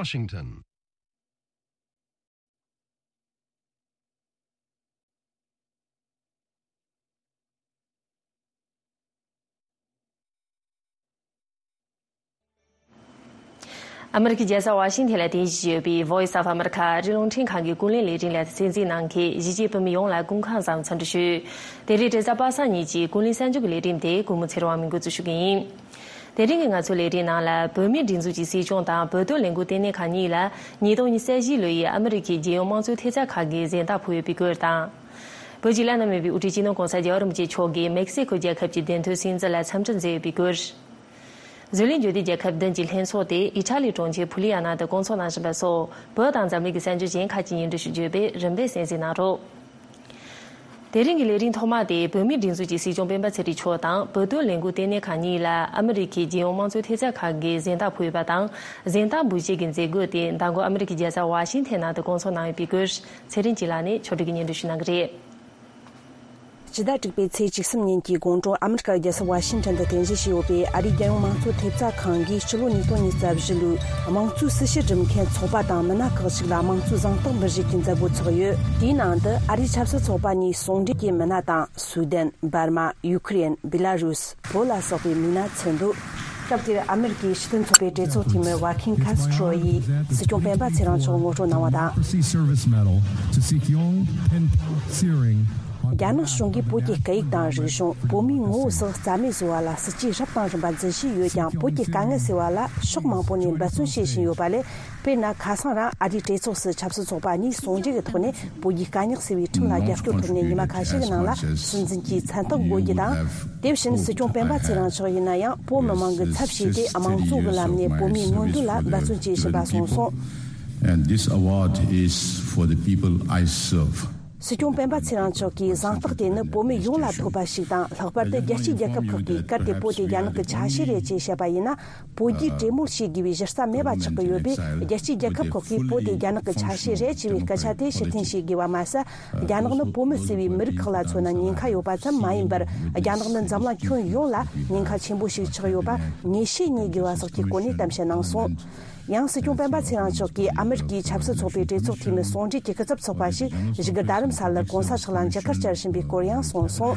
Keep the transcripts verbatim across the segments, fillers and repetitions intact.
Washington. ཨ་མི་རི་ཀའི་རྒྱལ་ས་ཝ་ཤིང་ཐན་ལ་རྟེན་གཞི་བྱས་ཡོད་པའི་Voice of America ཨ་རིའི་རླུང་འཕྲིན་ཁང་གི་ཀུན་གླེང་ལས་རིམ་ལ་གསན་གཟིགས་གནང་མཁན་གཞིས་བྱེས་བོད་མི་ཡོངས་ལ་སྐུ་ཁམས་བཟང་འཚམས་འདྲི་ཞུ། དེ་རིང་རེས་གཟའ་པ་སངས་ཉིན་གྱི་ཀུན་གླེང་གསར་འགྱུར་གྱི་ལས་རིམ་དེ་གུས་མོ་ཚེ་རིང་དབང་མོས་འགོ་འཛུགས་ཞུ་གི་ཡིན། དེ་རིང་གི་ང་ཚོའི་ལས་རིམ་ནང་ལ་བོད་མིའི་སྒྲིག་འཛུགས་ཀྱི་སྲིད་སྐྱོང་དང་བོད་དོན་ལས་འགུལ་ལྟེ་གནས་ཁང་གཉིས་ལ་ཉིས་སྟོང་ཉི་ཤུ་རྩ་བཞི་ལོའི་ཨ་མི་རི་ཀའི་རྒྱལ་ཡོངས་དམངས་གཙོའི་ཐེབས་རྩ་ཁང་གིས་གཟེངས་རྟགས་ཕུལ་ཡོད་པའི་སྐོར་དང་། བོད་ཀྱི་བླ་ན་མེད་པའི་དབུ་ཁྲིད་སྤྱི་ནོར་༸གོང་ས་༸རྒྱལ་བ་རིན་པོ་ཆེ་མཆོག་གིས་མེག་སི་ཀོ་རྒྱལ་ཁབ་ཀྱི་བདེན་དོན་སྲུང་བརྩི་ལ་འཚམས་འདྲི་མཛད་ཡོད་པའི་སྐོར། བཟོ་ལས་འཕྲོད་བསྟེན་རྒྱལ་ཁབ་བདུན་གྱི་ལྷན་ཚོགས་དེ་ཨི་ཊ་ལི་གྲོང་ཁྱེར་ཕུ་ལི་ཡ་ན་དུ་སྐོང་ཚོགས་གནང་བཞིན་པ་སོགས་བོད་དང་འཛམ་གླིང་གི་གསར་འགྱུར་གཞན་ཁག་ཅིག་སྙན་སྒྲོན་ཞུ་རྒྱུ་ཡོད་པས་རིམ་པས་གསན་གཟིགས་གནང་རོགས། དེ་རིང་གི་ལས་རིམ་ཐོག་མ་དེ་བོད་མིའི་སྒྲིག་འཛུགས་ཀྱི་སྲིད་སྐྱོང་སྤེན་པ་ཚེ་རིང་མཆོག་དང་བོད་དོན་ལས་འགུལ་ལྟེ་གནས་ཁང་གཉིས་ལ་ཨ་མི་རི་ཁའི་རྒྱལ་ཡོངས་དམངས་གཙོའི་ཐེབས་རྩ་ཁང་གིས་གཟེངས་རྟགས་ཕུལ་ཡོད་པ་དང་། གཟེངས་རྟགས་འབུལ་བྱེད་ཀྱི་མཛད་སྒོ་དེ་མདང་དགོང་ཨ་མི་རི་ཀའི་རྒྱལ་ས་ཝ་ཤིང་ཐན་ནང་དུ་སྐོང་ཚོགས་གནང་ཡོད་པའི་སྐོར། ཚེ་རིང་སྐྱིད་ལགས་ནས་ཕྱོགས་སྒྲིག་གིས་སྙན་སྒྲོན་ཞུ་གནང་གི་རེད། སྤྱི་ཟླ་དྲུག་པའི་ཚེས་བཅུ་གསུམ་ཉིན་གྱི་དགོང་དྲོ་ཨ་མི་རི་ཀ་རྒྱལ་ས་ཝ་ཤིང་ཊོན་དུ་རྟེན་གཞི་བྱས་ཡོད་པའི་ཨ་རིའི་རྒྱལ་ཡོངས་དམངས་གཙོ་ཐེབས་རྩ་ཁང་གིས་སྤྱི་ལོ་ཉིས་སྟོང་ཉི་ཤུ་རྩ་བཞི་ལོའི་དམངས་གཙོའི་སྲི་ཞུ་སྒྲུབ་མཁན་ཚོགས་པ་དང་མི་སྣ་ཁག་ཅིག་ལ་དམངས་གཙོའི་གཟེངས་རྟགས་འབུལ་བཞེས་ཀྱི་མཛད་སྒོ་ཚོགས་ཡོད། དེའི་ནང་དུ་ཨ་རིའི་ཆབ་སྲིད་ཚོགས་པ་གཉིས་ཟུང་འབྲེལ་གྱི་མི་སྣ་དང་སུའུ་དན། འབར་མ། ཡུ་ཁུ་རེན། བི་ལ་རུས། བོད་ལ་སོགས་པའི་མི་སྣ་ཚུད་འདུག་སྐབས་དེར་ཨ་མི་རི་ཀའི་སྤྱི་མཐུན་ཚོགས་པའི་གྲོས་ཚོགས་འཐུས་མི་ཝ་ཁིན་ཁ་སི་ཁྲོ་ཡིས་སྲིད་སྐྱོང་སྤེན་པ་ཚེ་རིང་མཆོག་ངོ་སྤྲོད་གནང་བ་དང་། Mercy Service Medal to Seok Yong Pin Tsering. རྒྱ་ནག་གཞུང་གིས་བོད་ཀྱི་སྐད་ཡིག་དང་རིག་གཞུང་། བོད་མིའི་ངོ་བོ་སོགས་རྩ་མེད་བཟོ་བ་ལ་སྲིད་ཇུས་རབ་དང་རིམ་པ་འཛིན་བཞིན་ཡོད་ཀྱང་། བོད་ཀྱི་དཀའ་ངལ་སེལ་བ་ལ་ཕྱོགས་མང་པོ་ནས་འབད་བརྩོན་བྱེད་བཞིན་ཡོད་པ་ལས། དཔེར་ན། ཁ་སང་རང་ཨ་རིའི་གྲོས་ཚོགས་སུ་ཆབ་སྲིད་ཚོགས་པ་གཉིས་ཟུང་འབྲེལ་གྱི་ཐོག་ནས་བོད་ཀྱི་དཀའ་རྙོག་སེལ་བའི་ཁྲིམས་ལ་རྒྱབ་སྐྱོར་ཐོབ་ནས། ཉི་མ་ཁ་ཤས་ཀྱི་ནང་ལ་སྲིད་འཛིན་གྱི་མཚན་རྟགས་འགོད་རྒྱུ་དང་། དེ་བཞིན་སྲིད་སྐྱོང་སྤེན་པ་ཚེ་རིང་མཆོག་ཡིན་ན་ཡང་། བོད་མི་མང་གི་ཚབ་བྱས་ཏེ་དམངས་གཙོ་གི་ལམ་ནས་བོད་མིའི་མངོན་འདོད་ལ་འབད་བརྩོན་བྱེད་བཞིན་པ་གསུངས་སོང་། And this award is for the people I serve. སྲིད་སྐྱོང་སྤེན་པ་ཚེ་རིང་མཆོག་གིས་གཟེངས་རྟགས་དེ་ནི་བོད་མི་ཡོངས་ལ་ཐོབ་པ་ཞིག་དང་། ལྷག་པར་དུ་རྒྱལ་སྤྱིའི་རྒྱལ་ཁབ་ཁག་གིས་གལ་ཏེ་བོད་དེ་རྒྱ་ནག་གི་ཆ་ཤས་རེད་ཅེས་བཤད་པ་ཡིན་ན། བོད་རྒྱའི་གྲོས་མོལ་བྱེད་དགོས་པའི་གཞི་རྩ་མེད་པ་ཆགས་ཀྱི་ཡོད་པས། རྒྱལ་སྤྱིའི་རྒྱལ་ཁབ་ཁག་གིས་བོད་དེ་རྒྱ་ནག་གི་ཆ་ཤས་རེད་ཅེས་པའི་སྐད་ཆ་དེ་ཕྱིར་འཐེན་བྱེད་དགོས་པ་མ་ཟད། རྒྱ་ནག་ནི་བོད་མི་ཟེར་བའི་མི་རིགས་ཁག་ལ་མཚོན་ན་ཉེན་ཁ་ཡོད་པ་ཙམ་མ་ཡིན་པར། རྒྱ་ནག་ནི་འཛམ་གླིང་ཁྱོན་ཡོངས་ལ་ཉེན་ཁ་ཆེན་པོ་ཞིག་ཆགས་ཡོད་པ་ངེས་ཤེས་རྙེད་དགོས་པ་སོགས་ཀྱི་སྐོར་ནས་གཏམ་བཤད་གནང་སོང་། ཡང་སྲིད་སྐྱོང་སྤེན་པ་ཚེ་རིང་མཆོག་གིས་ཨ་མི་རི་ཀའི་ཆབ་སྲིད་ཚོགས་པའི་གྲོས་ཚོགས་འཐུས་མི་ཟུང་འབྲེལ་གྱི་སྐུ་ཚབ་ཚོགས་པ་ཞིག་བཞུགས་སྒར་རྡ་རམ་ས་ལར་གོང་ས་མཆོག་ལ་མཇལ་ཁ་བསྐྱལ་བཞིན་པའི་སྐོར་ཡང་གསུངས་སོང་།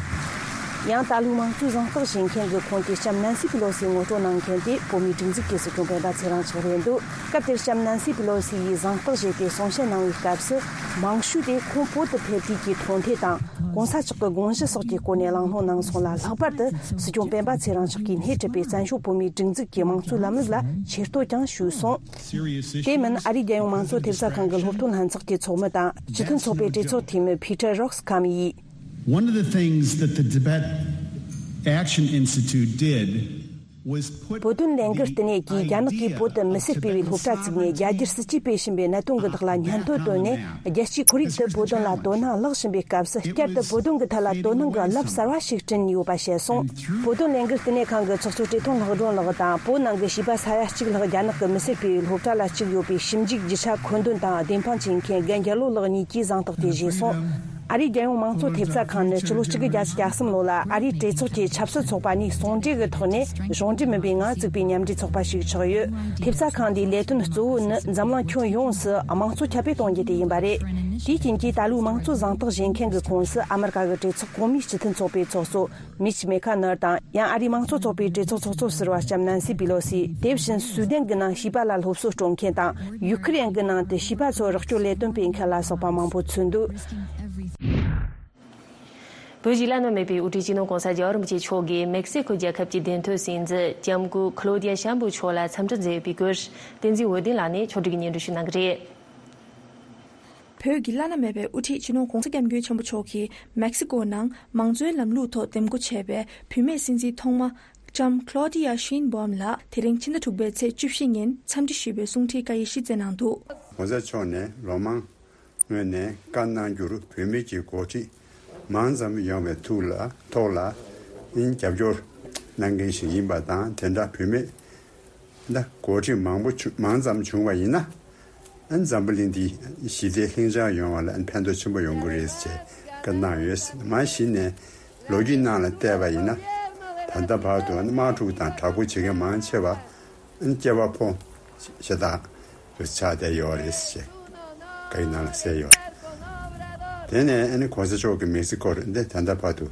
ཡང་ད་ལོའི་དམངས་གཙོའི་གཟེངས་རྟགས་བཞེས་མཁན་གྱི་ཁོངས་ཀྱི་ལྕམ་ནན་སི་པི་ལོ་སི་ངོ་སྤྲོད་གནང་མཁན་དེ་བོད་མིའི་སྒྲིག་འཛུགས་ཀྱི་སྲིད་སྐྱོང་སྤེན་པ་ཚེ་རིང་མཆོག་རེད་འདུག་སྐབས་དེར་ལྕམ་ནན་སི་པི་ལོ་སི་ཡིས་གཟེངས་རྟགས་བཞེས་ཏེ་གསུང་བཤད་གནང་བའི་སྐབས་སུ། མང་ཤོས་དེ་ཁོང་བོད་དུ་ཕེབས་དུས་ཀྱི་མཐོང་ཐོས་དང་། གོང་ས་མཆོག་གི་དགོངས་གཞི་སོགས་ཀྱི་སྐོར་ནས་གླེང་སློང་གནང་སོང་ལ། ལྷག་པར་དུ་སྲིད་སྐྱོང་སྤེན་པ་ཚེ་རིང་མཆོག་གིས་སྣེ་ཁྲིད་པའི་བཙན་བྱོལ་བོད་མིའི་སྒྲིག་འཛུགས་ཀྱི་དམངས་གཙོའི་ལམ་ལུགས་ལ་ཆེ་བསྟོད་ཀྱང་ཞུས་སོང་། དེ་མིན། ཨ་རིའི་རྒྱལ་ཡོངས་དམངས་གཙོ་ཐེབས་རྩ་ཁང་གི་སློབ་སྟོན་ལྷན་ཚོགས་ཀྱི་ཚོགས་མི་དང་། སྤྱི་མཐུན་ཚོགས་པའི་གྲོས་ཚོགས་འཐུས་མི་ཕི་ཏྲ་རོག་སི་ཁམ་ཡིས། One of the things that the Tibet Action Institute did was put བོད་དོན་ལས་འགུལ་ལྟེ་གནས་ཀྱིས་རྒྱ་ནག་གིས་བོད་དུ་མི་སེར་སྤེལ་བའི་སློབ་གྲྭ་བཙུགས་ནས། རྒྱ་སྒེར་སྲིད་ཇུས་སྤེལ་བཞིན་པའི་གནད་དོན་གྱི་ཐོག་ལ་སྙན་ཐོ་བཏོན་ནས། རྒྱལ་སྤྱིའི་ཁོར་ཡུག་ཏུ་བོད་དོན་ལ་དོ་སྣང་ལྷག་བཞིན་པའི་སྐབས་སུ། བསྐྱར་དུ་བོད་དོན་གྱི་ཐད་ལ་དོ་སྣང་གི་རླབས་གསར་བ་ཞིག་བསྐྲུན་ཡོད་པ་བཤད་སོང་། བོད་དོན་ལས་འགུལ་ལྟེ་གནས་ཁང་གི་ཚོགས་གཙོ་བཀྲས་མཐོང་ལྷག་སྒྲོན་ལགས་དང་། བོད་ནང་གི་བྱིས་པ་ས་ཡ་གཅིག་ལྷག་རྒྱ་ནག་གི་མི་སེར་སྤེལ་བའི་སློབ་གྲྭ་ལ་བཅུག་ཡོད་པའི་ཞིབ་འཇུག་རྒྱུ་ཆ་མཁོ་འདོན་དང་བདེན་དཔང་བྱེད་མཁན་རྒན་རྒྱལ་ལོ་ལགས་གཉིས་ཀྱིས་གཟེངས་རྟགས་དེ་བཞེས་སོང་། ཨ་རིའི་རྒྱལ་ཡོངས་དམངས་གཙོ་ཐེབས་རྩ་ཁང་ནི་སྤྱི་ལོ་གཅིག་དགུ་བརྒྱ་ཁྲི་གསུམ་ལོ་ལ་ཨ་རིའི་གྲོས་ཚོགས་ཀྱི་ཆབ་སྲིད་ཚོགས་པ་གཉིས་ཟུང་འབྲེལ་གྱི་ཐོག་ནས་གཞུང་འབྲེལ་མིན་པའི་ངང་བཙུགས་པའི་མཉམ་འབྲེལ་ཚོགས་པ་ཞིག་ཆགས་ཡོད། ཐེབས་རྩ་ཁང་འདིའི་ལས་དོན་གཙོ་བོ་ནི་འཛམ་གླིང་ཁྱོན་ཡོངས་སུ་དམངས་གཙོ་ཁྱབ་སྤེལ་གཏོང་རྒྱུ་དེ་ཡིན་པ་རེད། དེའི་རྐྱེན་གྱིས་ད་ལོའི་དམངས་གཙོ་གཟེངས་རྟགས་བཞེས་མཁན་གྱི་ཁོངས་སུ་ཨ་མི་རི་ཀ་གི་གྲོས་ཚོགས་གོང་མའི་སྤྱི་མཐུན་ཚོགས་པའི་ཚོགས་གཙོ་མིཆ་མེ་ཁ་ནར་དང་། ཡང་ཨ་རིའི་དམངས་གཙོ་ཚོགས་པའི་གྲོས་ཚོགས་ཚོགས་གཙོ་ཟུར་པ་ལྕམ་ནན་སི་པི་ལོ་སི། དེ་བཞིན་སུའུ་དན་གྱི་ནང་བྱིས་པ་ལ་སློབ་གསོ་སྤྲོད་མཁན་དང་། ཡུ་ཁུ་རེན་གྱི་ནང་དུ་བྱིས་པ་ཚོར་རོགས་སྐྱོར་ལས་དོན་སྤེལ་མཁན་ལ་སོགས་པ་མང་པོ་ཚུད་འདུག་བོད་ཀྱི་བླ་ན་མེད་པའི་དབུ་ཁྲིད་སྤྱི་ནོར་༸གོང་ས་༸རྒྱལ་བ་རིན་པོ་ཆེ་མཆོག་གིས་མེག་སི་ཀོ་རྒྱལ་ཁབ་ཀྱི་བདེན་དོན་སྲིད་འཛིན་ལྕམ་སྐུ་ཁ་ལོ་ཌི་ཡ་ཤམ་བྷོ་མཆོག་ལ་འཚམས་འདྲི་མཛད་ཡོད་པའི་སྐོར། བསྟན་འཛིན་འོད་ལྡན་ལགས་ནས་ཕྱོགས་སྒྲིག་གིས་སྙན་སྒྲོན་ཞུ་གནང་གི་རེད། བོད་ཀྱི་བླ་ན་མེད་པའི་དབུ་ཁྲིད་སྤྱི་ནོར་༸གོང་ས་༸སྐྱབས་མགོན་ཆེན་པོ་མཆོག་གིས་མེག་སི་ཀོ་ནང་མང་གཙོའི་ལམ་ལུགས་ཐོག་འདེམས་བསྐོ་བྱས་པའི་བུད་མེད་སྲིད་འཛིན་ཐོག་མ་ལྕམ་ཁ་ལོ་ཌི་ཡ་ཤིན་བྷོམ་ལ་དེ་རིང་ཕྱི་ཟླ་དྲུག་པའི་ཚེས་བཅུ་བཞི་ཉིན་འཚམས་འདྲི་ཞུས་པའི་གསུང་འཕྲིན་བཀའ་ཡིག་གཞི་བསྩལ་གནང་འདུག ༸གོང་ས་མཆོག་ནས་ལོ་མང་སྔོན་ནས་བཀའ་གནང་རྒྱུར་བོད་མི་གི་འགོ་ཁྲིད་མང་ཙམ་ཡོང་བའི་ཐུགས་ལ་ཐོག་ལ་རྒྱབ་སྐྱོར་གནང་མཁན་ཞིག་ཡིན་པ་དང་། དེ་འདྲ་བུད་མེད་ད་འགོ་ཁྲིད་མང་པོ་བྱུང་མང་ཙམ་བྱུང་བ་ཡིན་ན། ཨ་འཛམ་བུ་གླིང་འདི་ཞི་བདེ་ལྷིང་འཇགས་ཡོང་བ་ལ་ཨ་ཕན་ཐོགས་ཆེན་པོ་ཡོང་གི་རེད་ཅེས་བཀའ་གནང་ཡོད། མ་གཞི་ནས་ལོ་རྒྱུས་ནང་ལ་བལྟས་པ་ཡིན་ན། ད་ལྟ་བར་དུ་དམག་འཁྲུག་དང་དྲག་པོ་བྱེད་མཁན་མང་ཆེ་བ་ཨ་སྐྱེས་པ་ཕོ་ཞེ་དྲག་ དུ་ཆགས་བསྡད་ཡོད་རེད་ཅེས་བཀའ་ཡིག་ནང་ལ་གསལ་ཡོད། དེ་ནས་ཨ་ནི་གོང་ས་མཆོག་གིས་མེག་སི་ཀོར་འདི་ད་ལྟ་བར་དུ་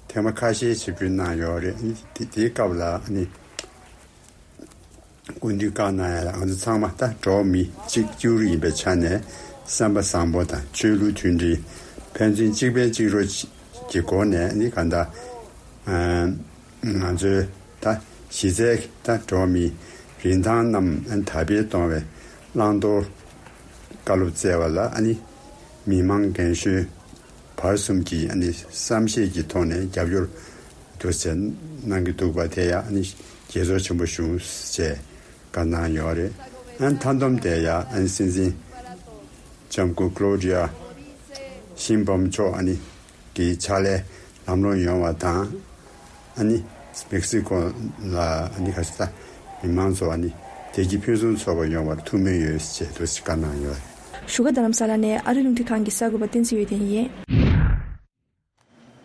ཐེངས་མ་ཁ་ཤས་ཆིབས་བསྒྱུར་གནང་ཡོད་རེད། ཨ་ནི་དེ་དེའི་སྐབས་ལ་ཨ་ནི་སྐུ་མདུན་བཀའ་གནང་ཡ་ལ་ང་ཚོ་ཚང་མ་ད་འགྲོ་བ་མི་གཅིག་གྱུར་ཡིན་པའི་ཆ་ནས་བསམ་པ་བཟང་པོ་དང་ཆོས་ལུགས་མཐུན་སྒྲིལ། ཕན་ཚུན་གཅིག་ཕན་གཅིག་རོགས་ཀྱི་སྒོ་ནས་ཨ་ནི་གང་ལྟར་ང་ཚོའི་ད་གཞི་རྩའི་ད་འགྲོ་བ་མིའི་རིན་ཐང་རྣམས་དར་སྤེལ་གཏོང་བའི་བླང་དོར་བཀའ་སློབ་སྩལ་བ་ལ་ཨ་ནི་མི་མང་རྒན་གཞོན་བར་གསུམ་གྱིས་ཨ་ནི་བསམ་ཤེས་ཀྱི་ཐོག་ནས་རྒྱབ་སྐྱོར་དུ་བྱས་གནང་གི་འདུག་པ་དེ་ཡང་ཨ་ནི་དགྱེས་ཚོར་ཆེན་པོ་བྱུང་ཞེས་བཀའ་གནང་ཡོད་རེད། ཨ་ནི་མཐའ་བསྡོམས་དེ་ཡང་ཨ་ནི་སྲིད་འཛིན་ལྕམ་སྐུ་ཀློ་ཌི་ཡ་ཤིན་བྷམ་མཆོག་ཨ་ནི་གི་ཕྱག་ལས་ལམ་ལྷོང་ཡོང་བ་དང་། ཨ་ནི་མེག་སི་ཀོ་ལ་ཨ་ནི་ཁ་ཤས་ད་མི་མང་ཚོ་ཨ་ནི་བདེ་སྐྱིད་ཕུན་སུམ་ཚོགས་པ་ཡོང་བར་ཐུགས་སྨོན་ཡོད་ཅེས་འདུག་སེ་བཀའ་གནང་ཡོད། བཞུགས་སྒར་རྡ་རམ་ས་ལ་ནས་ཨ་རིའི་རླུང་འཕྲིན་ཁང་གི་གསར་འགོད་པ་བསྟན་འཛིན་འོད་ལྡན་ཡིན།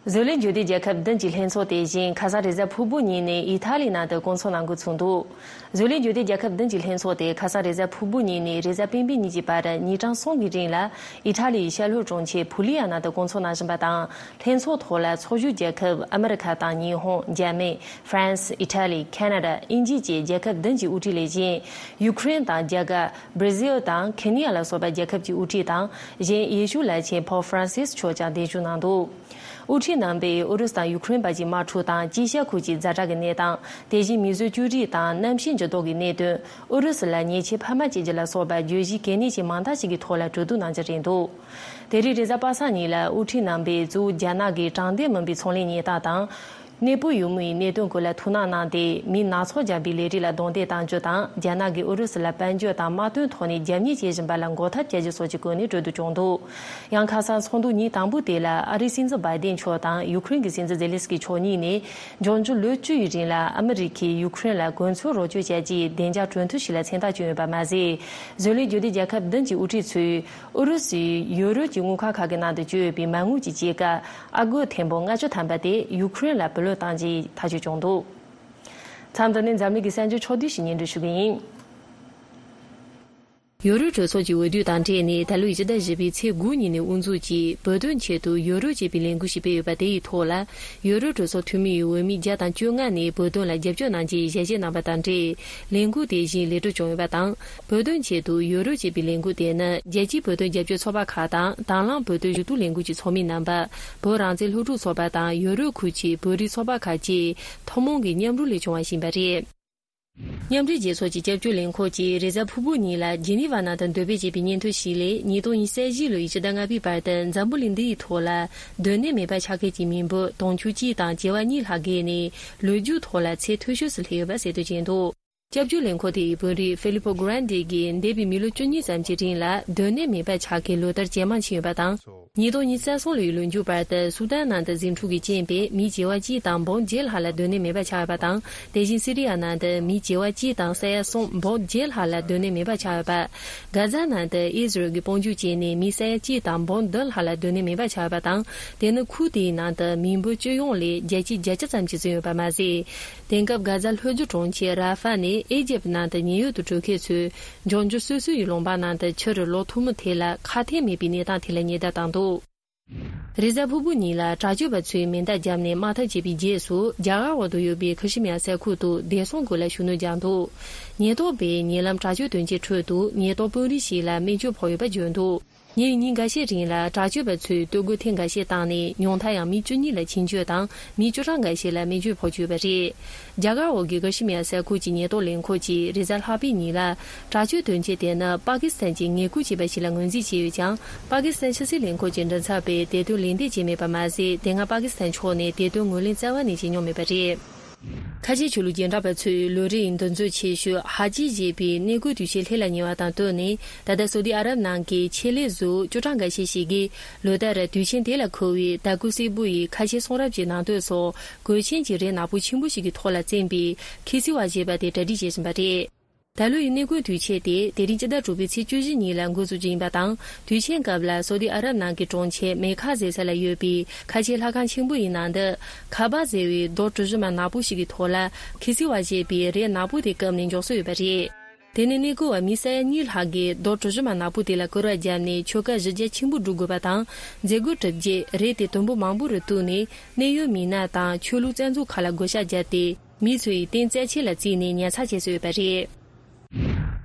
བཟོ་ལས་འབྱོར་ལྡན་རྒྱལ་ཁབ་བདུན་གྱི་ལྷན་ཚོགས་དེ་བཞིན་ཁ་སང་རེས་གཟའ་ཕུར་བུ་ཉིན་ནས་ཨི་ཐ་ལི་ནང་དུ་བསྐོང་ཚོགས་གནང་འགོ་ཚུགས་འདུག་བཟོ་ལས་འབྱོར་ལྡན་རྒྱལ་ཁབ་བདུན་གྱི་ལྷན་ཚོགས་དེ་ཁ་སང་རེས་གཟའ་ཕུར་བུ་ཉིན་ནས་རེས་གཟའ་སྤེན་པའི་ཉིན་གྱི་བར་ཉིན་གྲངས་གསུམ་གྱི་རིང་ལ་ཨི་ཐ་ལིའི་ཤར་ལྷོ་གྲོང་ཁྱེར་ཕུ་ལི་ཡ་ནང་དུ་བསྐོང་ཚོགས་གནང་བཞིན་པ་དང་། ལྷན་ཚོགས་ཐོག་ལ་ཚོགས་ཞུགས་རྒྱལ་ཁབ་ཨ་མི་རི་ཁ་དང་ཉི་ཧོང་། འཇར་མན། ཧྥ་རན་སི། ཨི་ཐ་ལི། ཁ་ན་ཌ། དབྱིན་ཇི་བཅས་རྒྱལ་ཁབ་བདུན་གྱི་དབུ་ཁྲིད་ལས་བཞིན། ཡུ་ཁུ་རེན་དང་རྒྱ་གར། བྷར་ཛིལ་དང་ཁེ་ནི་ཡ་ལ་སོགས་པ་རྒྱལ་ཁབ་ཀྱི་དབུ་ཁྲིད་དང་། གཞན་ཡེ་ཤུ་བླ་ཆེན་པོབ་ཧྥ་རན་སིས་མཆོག་ཀྱང་གདན་ཞུ་གནང་འདུག་དབུ་ཁྲིད་རྣམ་པས་ཨུ་རུ་སུ་དང་ཡུ་ཁུ་རེན་བར་གྱི་དམག་འཁྲུག་དང་དཀྱིལ་ཤར་ཁུལ་གྱི་ཛ་དྲག་གི་གནས་སྟངས། དེ་བཞིན་མིས་བཟོས་བཅོས་སྒྲིག་དང་གནམ་གཤིས་འགྱུར་ལྡོག་གི་གནད་དོན། ཨུ་རུ་སུ་ལ་ཉེས་ཆད་འཕར་མ་བཅད་རྒྱུ་ལ་སོགས་པ་བརྗོད་གཞི་གལ་གནད་ཅན་མང་དག་ཅིག་གི་ཐོག་ལ་གྲོས་བསྡུར་གནང་རྒྱུ་རེད་འདུག་དེ་རིང་རེས་གཟའ་པ་སངས་ཉིན་ལ་དབུ་ཁྲིད་རྣམ་པས་གཙོ་བོ་རྒྱ་ནག་གི་དྲང་བདེན་མིན་པའི་ཚོང་ལས་གནས་སྟངས་དང་། གནས་སྤོ་ཡུལ་མིའི་གནད་དོན་སྐོར་ལ་ཐུགས་སྣང་གནང་སྟེ། མི་སྣ་ཚོགས་རྒྱག་པའི་ལས་རིགས་ལ་རྡུང་རྡེག་གཏང་རྒྱུ་དང་། རྒྱ་ནག་གིས་ཨུ་རུ་སུ་ལ་དཔལ་འབྱོར་དང་དམག་དོན་ཐོག་ནས་རྒྱབ་གཉེར་བྱེད་བཞིན་པ་ལ་འགོག་ཐབས་བྱ་རྒྱུ་སོགས་ཀྱི་སྐོར་ནས་གྲོས་བསྡུར་བྱུང་འདུག་ཡང་ཁ་སང་ཚོགས་འདུ་ཉིན་དང་པོ་དེ་ལ་ཨ་རིའི་སྲིད་འཛིན་བྷའི་ཏིན་མཆོག་དང་ཡུ་ཁུ་རེན་གྱི་སྲིད་འཛིན་ཛེ་ལན་སི་ཀི་མཆོག་གཉིས་ནས་འབྱུང་འགྱུར་ལོ་བཅུ་ཡི་རིང་ལ་ཨ་མི་རི་ཀས་ཡུ་ཁུ་རེན་ལ་གོ་མཚོན་རོགས་སྐྱོར་བྱ་རྒྱུའི་བདེ་འཇགས་གྲོས་མཐུན་ཞིག་ལ་མཚན་རྟགས་བསྐྱོན་ཡོད་པ་མ་ཟད། བཟོ་ལས་འབྱོར་ལྡན་རྒྱལ་ཁབ་བདུན་གྱི་དབུ་ཁྲིད་ཚོས་ཨུ་རུ་སུས་ཡོ་རོབ་ཀྱི་དངུལ་ཁང་ཁག་གི་ནང་དུ་བཅོལ་ཡོད་པའི་མ་དངུལ་གྱི་སྐྱེད་ཀ་ཨ་སྒོར་ཐེར་འབུམ་ལྔ་བཅུ་ཐམ་པ་དེ་ཡུ་ཁུ་རེན་ལ་བུ་ལོན་གཏང་རྒྱུའི་ཐག་གཅོད་བྱུང་འདུག་མཚམས་འདི་ནས་འཛམ་གླིང་གི་གསར་འགྱུར་ཕྱོགས་བསྡུས་ཤིག་སྙན་སྒྲོན་ཞུ་གི་ཡིན། ཡོ་རོབ་གྲོས་ཚོགས་ཀྱི་འོས་བསྡུ་དང་འབྲེལ་ནས་ད་ལོའི་སྤྱི་ཟླ་བཞི་པའི་ཚེས་དགུ་ཉིན་ནས་དབུ་འཛུགས་ཀྱིས་བོད་དོན་ཆེད་དུ་ཡོ་རོབ་ཅེས་པའི་ལས་འགུལ་ཞིག་སྤེལ་ཡོད་པ་དེ་ཡི་ཐོག་ལ། ཡོ་རོབ་གྲོས་ཚོགས་འཐུས་མི་ཡི་འོས་མི་བརྒྱ་དང་བཅོ་ལྔ་ནས་བོད་དོན་ལ་རྒྱབ་སྐྱོར་གནང་རྒྱུའི་ཞལ་བཞེས་གནང་བ་དང་འབྲེལ། ལས་འགུལ་དེ་བཞིན་ལས་སྒྲུབ་བྱུང་ཡོད་པ་དང་། བོད་དོན་ཆེད་དུ་ཡོ་རོབ་ཅེས་པའི་ལས་འགུལ་དེ་ནི་རྒྱལ་སྤྱིའི་བོད་དོན་རྒྱབ་སྐྱོར་ཚོགས་པ་ཁག་དང་དང་བླངས་བོད་དོན་ཞུ་གཏུག་ལས་འགུལ་གྱི་ཚོགས་མི་རྣམ་པ། བོད་རང་བཙན་སློབ་ཕྲུག་ཚོགས་པ་དང་ཡོ་རོབ་ཁུལ་གྱི་བོད་རིགས་ཚོགས་པ་ཁག་བཅས་ཐུན་མོང་གི་མཉམ་རུབ་ལས་བྱུང་བ་ཞིག་ཡིན་པ་རེད། མཉམ་འབྲེལ་རྒྱལ་ཚོགས་ཀྱི་སྐྱབས་བཅོལ་ལས་ཁུངས་ཀྱིས་རེས་གཟའ་ཕུར་བུ་ཉིན་ལ་ཇི་ནི་ཝ་ནང་དུ་འདོན་སྤེལ་བྱས་པའི་སྙན་ཐོ་ཞིག་ལས། ཉིས་སྟོང་ཉི་ཤུ་རྩ་བཞི་ལོའི་ཕྱི་ཟླ་ལྔ་པའི་བར་དུ་འཛམ་བུ་གླིང་འདིའི་ཐོག་ལ་སྡོད་གནས་མེད་པར་ཆགས་མཁན་གྱི་མི་འབོར་དུང་ཕྱུར་གཅིག་དང་བྱེ་བ་གཉིས་ལྷག་བརྒལ་ནས་ལོ་རྒྱུས་ཐོག་ལ་ཚད་མཐོ་ཤོས་སུ་སླེབས་ཡོད་པ་གསལ་སྟོན་བྱས་འདུག་སྐྱབས་བཅོལ་ལས་ཁུངས་དེ་ཡི་དཔོན་རིགས་ཧྥི་ལི་པོ་གྷ་རན་ཌི་གིས་འདས་པའི་མི་ལོ་བཅུ་གཉིས་ཙམ་གྱི་རིང་ལ་སྡོད་གནས་མེད་པར་ཆགས་མཁན་ལོ་ལྟར་ཇེ་མང་ཕྱིན་ཡོད་པ་དང་། ཉིས་སྟོང་ཉི་ཤུ་རྩ་གསུམ་ལོའི་ལོ་མཇུག་བར་དུ་སུ་དན་ནང་དུ་ཟིང་འཁྲུག་གི་རྐྱེན་པས་མི་བྱེ་བ་གཅིག་དང་འབུམ་བརྒྱད་ལྷག་ལ་སྡོད་གནས་མེད་པ་ཆགས་ཡོད་པ་དང་། དེ་བཞིན་སི་རི་ཡ་ནང་དུ་མི་བྱེ་བ་གཅིག་དང་ས་ཡ་གསུམ་འབུམ་བརྒྱད་ལྷག་ལ་སྡོད་གནས་མེད་པ་ཆགས་ཡོད་པ། གྷ་ཛ་ནང་དུ་ཨི་ཟི་རལ་གྱིས་དཔུང་འཇུག་བྱས་ནས་མི་ས་ཡ་གཅིག་དང་འབུམ་བདུན་ལྷག་ལ་སྡོད་གནས་མེད་པ་ཆགས་ཡོད་པ་དང་། དེ་ནི་ཁུལ་དེའི་ནང་དུ་མི་འབོར་སྤྱི་ཡོངས་ལས་བརྒྱ་ཆ་བརྒྱད་ཅུ་ཙམ་ཞིག་ཟིན་ཡོད་པ་མ་ཟད། དེང་སྐབས་གྷ་ཛ་ལྷོ་རྒྱུད་གྲོང་ཁྱེར་ར་ཧྥ་ནས་ཨི་ཇེབ་ནང་དུ་ཉེན་གཡོལ་དུ་འགྲོ་མཁན་ཚོས་འབྱུང་འགྱུར་སོ་སོ་ཡི་ལུང་པ་ནང་དུ་ཕྱིར་ལོག་ཐུབ་མིན་ཐད་ལ་ཁ་གཏད་མེད་པའི་གནས་སྟངས་ཐད་ལ་ཉེན་བརྡ་བཏང་འདུག་རེས་གཟའ་ཕུར་བུ་ཉིན་ལ་དྲག་སྤྱོད་པ་ཚོས་མེ་མདའ་བརྒྱབ་ནས་དམག་འཐབ་བྱས་པའི་རྗེས་སུ། རྒྱ་གར་འོག་ཏུ་ཡོད་པའི་ཁི་ཤི་མི་ཡ་ས་ཁུལ་དུ་བདེ་སྲུང་སྒོ་ལ་ཤུགས་སྣོན་བརྒྱབ་འདུག་ཉེན་རྟོག་པས་ཉེ་ལམ་དྲག་སྤྱོད་དོན་རྐྱེན་ཁྲོད་དུ་ཉེན་རྟོག་དཔོན་རིགས་ཤིག་ལ་རྨས་སྐྱོན་ཕོག་ཡོད་པ་བརྗོད་འདུག་ཉེ་བའི་ཉིན་འགའ་ཤས་རིང་ལ་དྲག་སྤྱོད་པ་ཚོས་གཏོར་རྒོལ་ཐེངས་འགའ་ཤས་བཏང་ནས་ཉུང་མཐར་ཡང་མི་བཅུ་གཉིས་ལ་འཆིང་སྐྱོན་དང་མི་བཅུ་གྲངས་འགའ་ཤས་ལ་རྨས་སྐྱོན་ཕོག་ཡོད་པ་རེད། རྒྱ་གར་འོག་གི་ཀ་ཤི་མིར་ས་ཁུལ་གྱི་ཉེན་རྟོག་ལས་ཁུངས་ཀྱིས་རེས་གཟའ་ལྷག་པའི་ཉིན་ལ། དྲག་སྤྱོད་དོན་རྐྱེན་དེ་ནི་པ་ཀི་སི་ཐན་གྱིས་ངན་སྐུལ་བྱས་པ་ཞིག་ལ་ངོས་འཛིན་བྱས་ཡོད་ཀྱང་། པ་ཀི་སི་ཐན་ཕྱི་སྲིད་ལས་ཁུངས་ཀྱི་མགྲིན་ཚབ་པས་དེ་དོན་ལན་འདེབས་བྱས་མེད་པ་མ་ཟད། དེ་སྔ་པ་ཀི་སི་ཐན་ཕྱོགས་ནས་དེ་དོན་ངོས་ལེན་རྩ་བ་ནས་བྱས་མྱོང་མེད་པ་རེད། ཁ་ཆེ་ཆོས་ལུགས་རྒྱུན་གྲགས་པ་ཚོས་ལོ་རེའི་འདུ་འཛོམས་ཆེ་ཤོས་ཧ་ཇི་ཞེས་པའི་གནས་སྐོར་དུས་ཆེན་ལྷད་ལ་ཉེ་བ་དང་བསྟུན་ནས། ད་ལྟ་སོ་ཏི་ཨ་རབ་ནང་གི་ཆེད་ལས་གཟུགས་བཅུ་གྲངས་འགའ་ཤས་ཤིག་གིས་ལོ་ལྟར་དུས་ཆེན་དེ་ལ་མཁོ་བའི་དར་གོས་སེར་པོ་ཡི་ཁ་ཆེ་གསུང་རབ་ཀྱི་ནང་དོན་སོགས་གོས་ཆེན་གྱི་རས་ནག་པོ་ཆེན་པོ་ཞིག་གི་ཐོག་ལ་བཙེམས་པའི་ཁི་སི་ཝ་ཞེས་པ་དེ་གྲ་སྒྲིག་བྱེད་བཞིན་པ་རེད། ད་ལོ་ཡི་གནས་སྐོར་དུས་ཆེན་དེ་དེ་རིང་སྤྱི་ཟླ་དྲུག་པའི་ཚེས་བཅུ་བཞི་ཉིན་ལ་འགོ་འཛུགས་རྒྱུ་ཡིན་པ་དང་། དུས་ཆེན་སྐབས་ལ་སོ་ཏི་ཨ་རབ་ནང་གི་གྲོང་ཁྱེར་མེ་ཁ་ཟེར་ས་ལ་ཡོད་པའི་ཁ་ཆེའི་ལྷ་ཁང་ཆེན་པོ་ཡི་ནང་དུ་ཁ་བ་ཟེར་བའི་རྡོ་གྲུ་བཞི་མ་ནག་པོ་ཞིག་གི་ཐོག་ལ་ཁི་སི་ཝ་ཞེས་པའི་རས་ནག་པོ་དེ་བཀབ་ནས་འཇོག་སྲོལ་ཡོད་པ་རེད། དེ་ནས་གནས་སྐོར་བ་མི་ས་ཡ་གཉིས་ལྷག་གིས་རྡོ་གྲུ་བཞི་མ་ནག་པོ་དེ་ལ་སྐོར་བ་བརྒྱབ་ནས་ཆོལ་ཁ་གཞི་རྒྱ་ཆེན་པོ་སྒྲོག་དགོས་པ་དང་། མཛད་སྒོ་གྲུབ་རྗེས་རས་དེ་དུམ་བུ་མང་པོ་རུ་གཏུགས་ནས་གནད་ཡོད་མི་སྣ་དང་ཆོས་ལུགས་རྩ་འཛུགས་ཁག་ལ་བགོ་བཤའ་བརྒྱབ་སྟེ། མི་ཚོས་རྟེན་རྩ་ཆེ་ལ་བརྩིས་ནས་ཉར་ཚགས་བྱས་སྲོལ་ཡོད་པ་རེད།